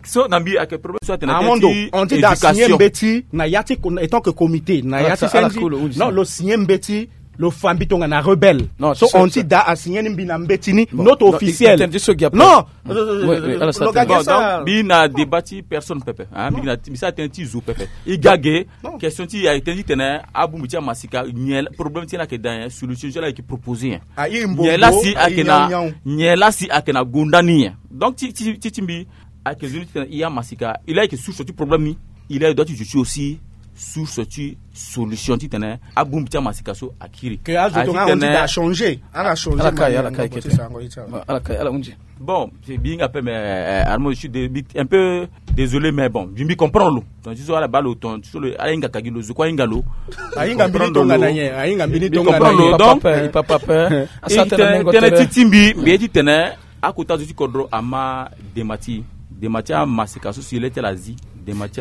So na mbi ayeke problème so atene tënë ti éducation. On dit da signé mbeti na ya ti étant que comité na ya ti sende. Non, lo signé mbeti. Lo fa mbi tongana rebelle. So on ti da asigné ni mbi na mbeti ni note officielle. Non. Mbi na débat ti personne pepe. Mbi sara tënë ti zo pepe. I ga ge. Question ti ayeke tënë ti tene abongbi ti amasika nyen problème ti ye ni ayeke daa nyen solution ti ala ayeke proposé nyen? Nyen laa si ayeke na nyen laa si ayeke na gonda ni nyen? Donc ti ti ti mbi ayeke zo ni ti tene i amasika i laa ayeke source ti problème ni. I laa i doit ti zo ti aussi source ti solution ti tene abongbi ti amasika so akiri. Ke azo tonga on ti da changer. Ala changer ala kai ala kai kete. Ala kai ala hunzi. Bon, c'est bien après mais armo je suis un peu désolé mais bon je mbi comprendre lo. Donc ti so ala baa lo ton ti so lo ala hinga kagi lo zo kue ahinga lo. Ahinga mbini tonga na nyen? Ahinga mbini tonga na nyen? Papa papa. Tënë ti ti mbi mbi ye ti tene akota zo ti kodro ama dema ti dema ti amasika so si le ti ala zi dema ti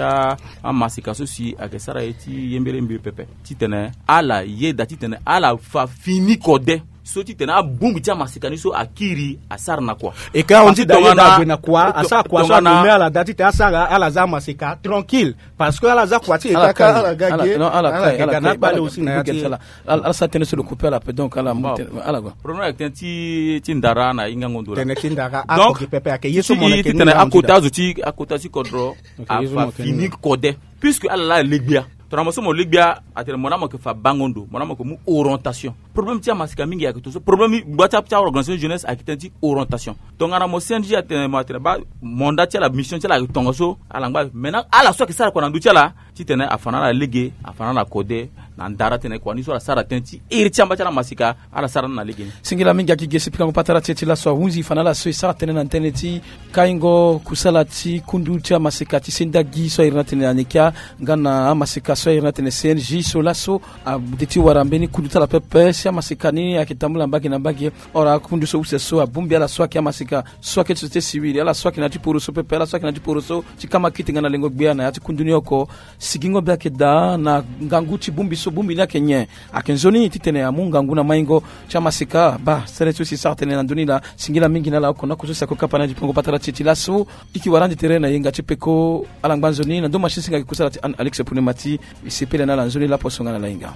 amasika so si ayeke sara ye ti yembere mbi pepe titene ala yeda titene ala fa fini kode so titene abongbi ti amasika ni so akiri asara na kua. Eke ahon ti da yeda ague na kua asara kua so ague me ala da titene asara ala za amasika tranquille. Parce que ala za kua ti eta ka ala ga ge ala ga na akpale aussi na ya ti ala. Ala sara tënë so lo coupe ala pe donc ala mu tënë ala gua. Problème ayeke tënë ti ndara na hingango ndo la. Tënë ti ndara ako gi pepe ayeke ye so mo na ke ni titene akota azo ti akota ti kodro afa fini kode. Puisque ala laa alegbia tongana mo so mo legbia atene mo na mo yeke fa bango ndo mo na mo yeke mu orientation. Problème ti amasika mingi ayeke tongaso problème ni gba ti aorganisation jeunesse ayeke tënë ti orientation. Tongana mo cng atene mo atene baa mandat ti ala mission ti ala ayeke tongaso ala ngba maintenant ala so ayeke sara kua na ndö ti ala titene afa na ala lege afa na ala kode na ndara tene kua ni so ala sara tënë ti iri ti amba ti ala masika ala sara ni na lege ni. Singila mingi aki ge si pikango patara ti e ti laso ahunzi fa na ala so e sara tënë na ndene ti kaingo kusala ti kundu ti amasika ti sendagi so ahiri na tene anekia nga na amasika so ahiri na tene cng so laso ade ti wara mbeni kundu ti ala pepe si amasika ni ayeke tambula mbage na mbage. Ora akundu so use so abongbi ala so ayeke amasika so ayeke ti société civile ala so ayeke na ya ti poro so pepe ala so ayeke na ya ti poro so ti kama kiti nga na lengo gbia na ya ti kundu ni oko. Sigingo be ayeke daa na ngangu ti bongbi so bongbi ni ayeke nyen? Ayeke nzoni titene amu ngangu na maingo ti amasika baa sere ti so si sara tënë na ndö ni laa singila mingi na ala oko na oko so si ako kapa na ya ti pongo patara ti e ti laso. Iki wara ande tere na yenga ti peko ala ngba nzoni na ndö machine singa ayeke kusala ti anne alex pune mati. E sepela na ala nzoni lapo so nga na ala hinga.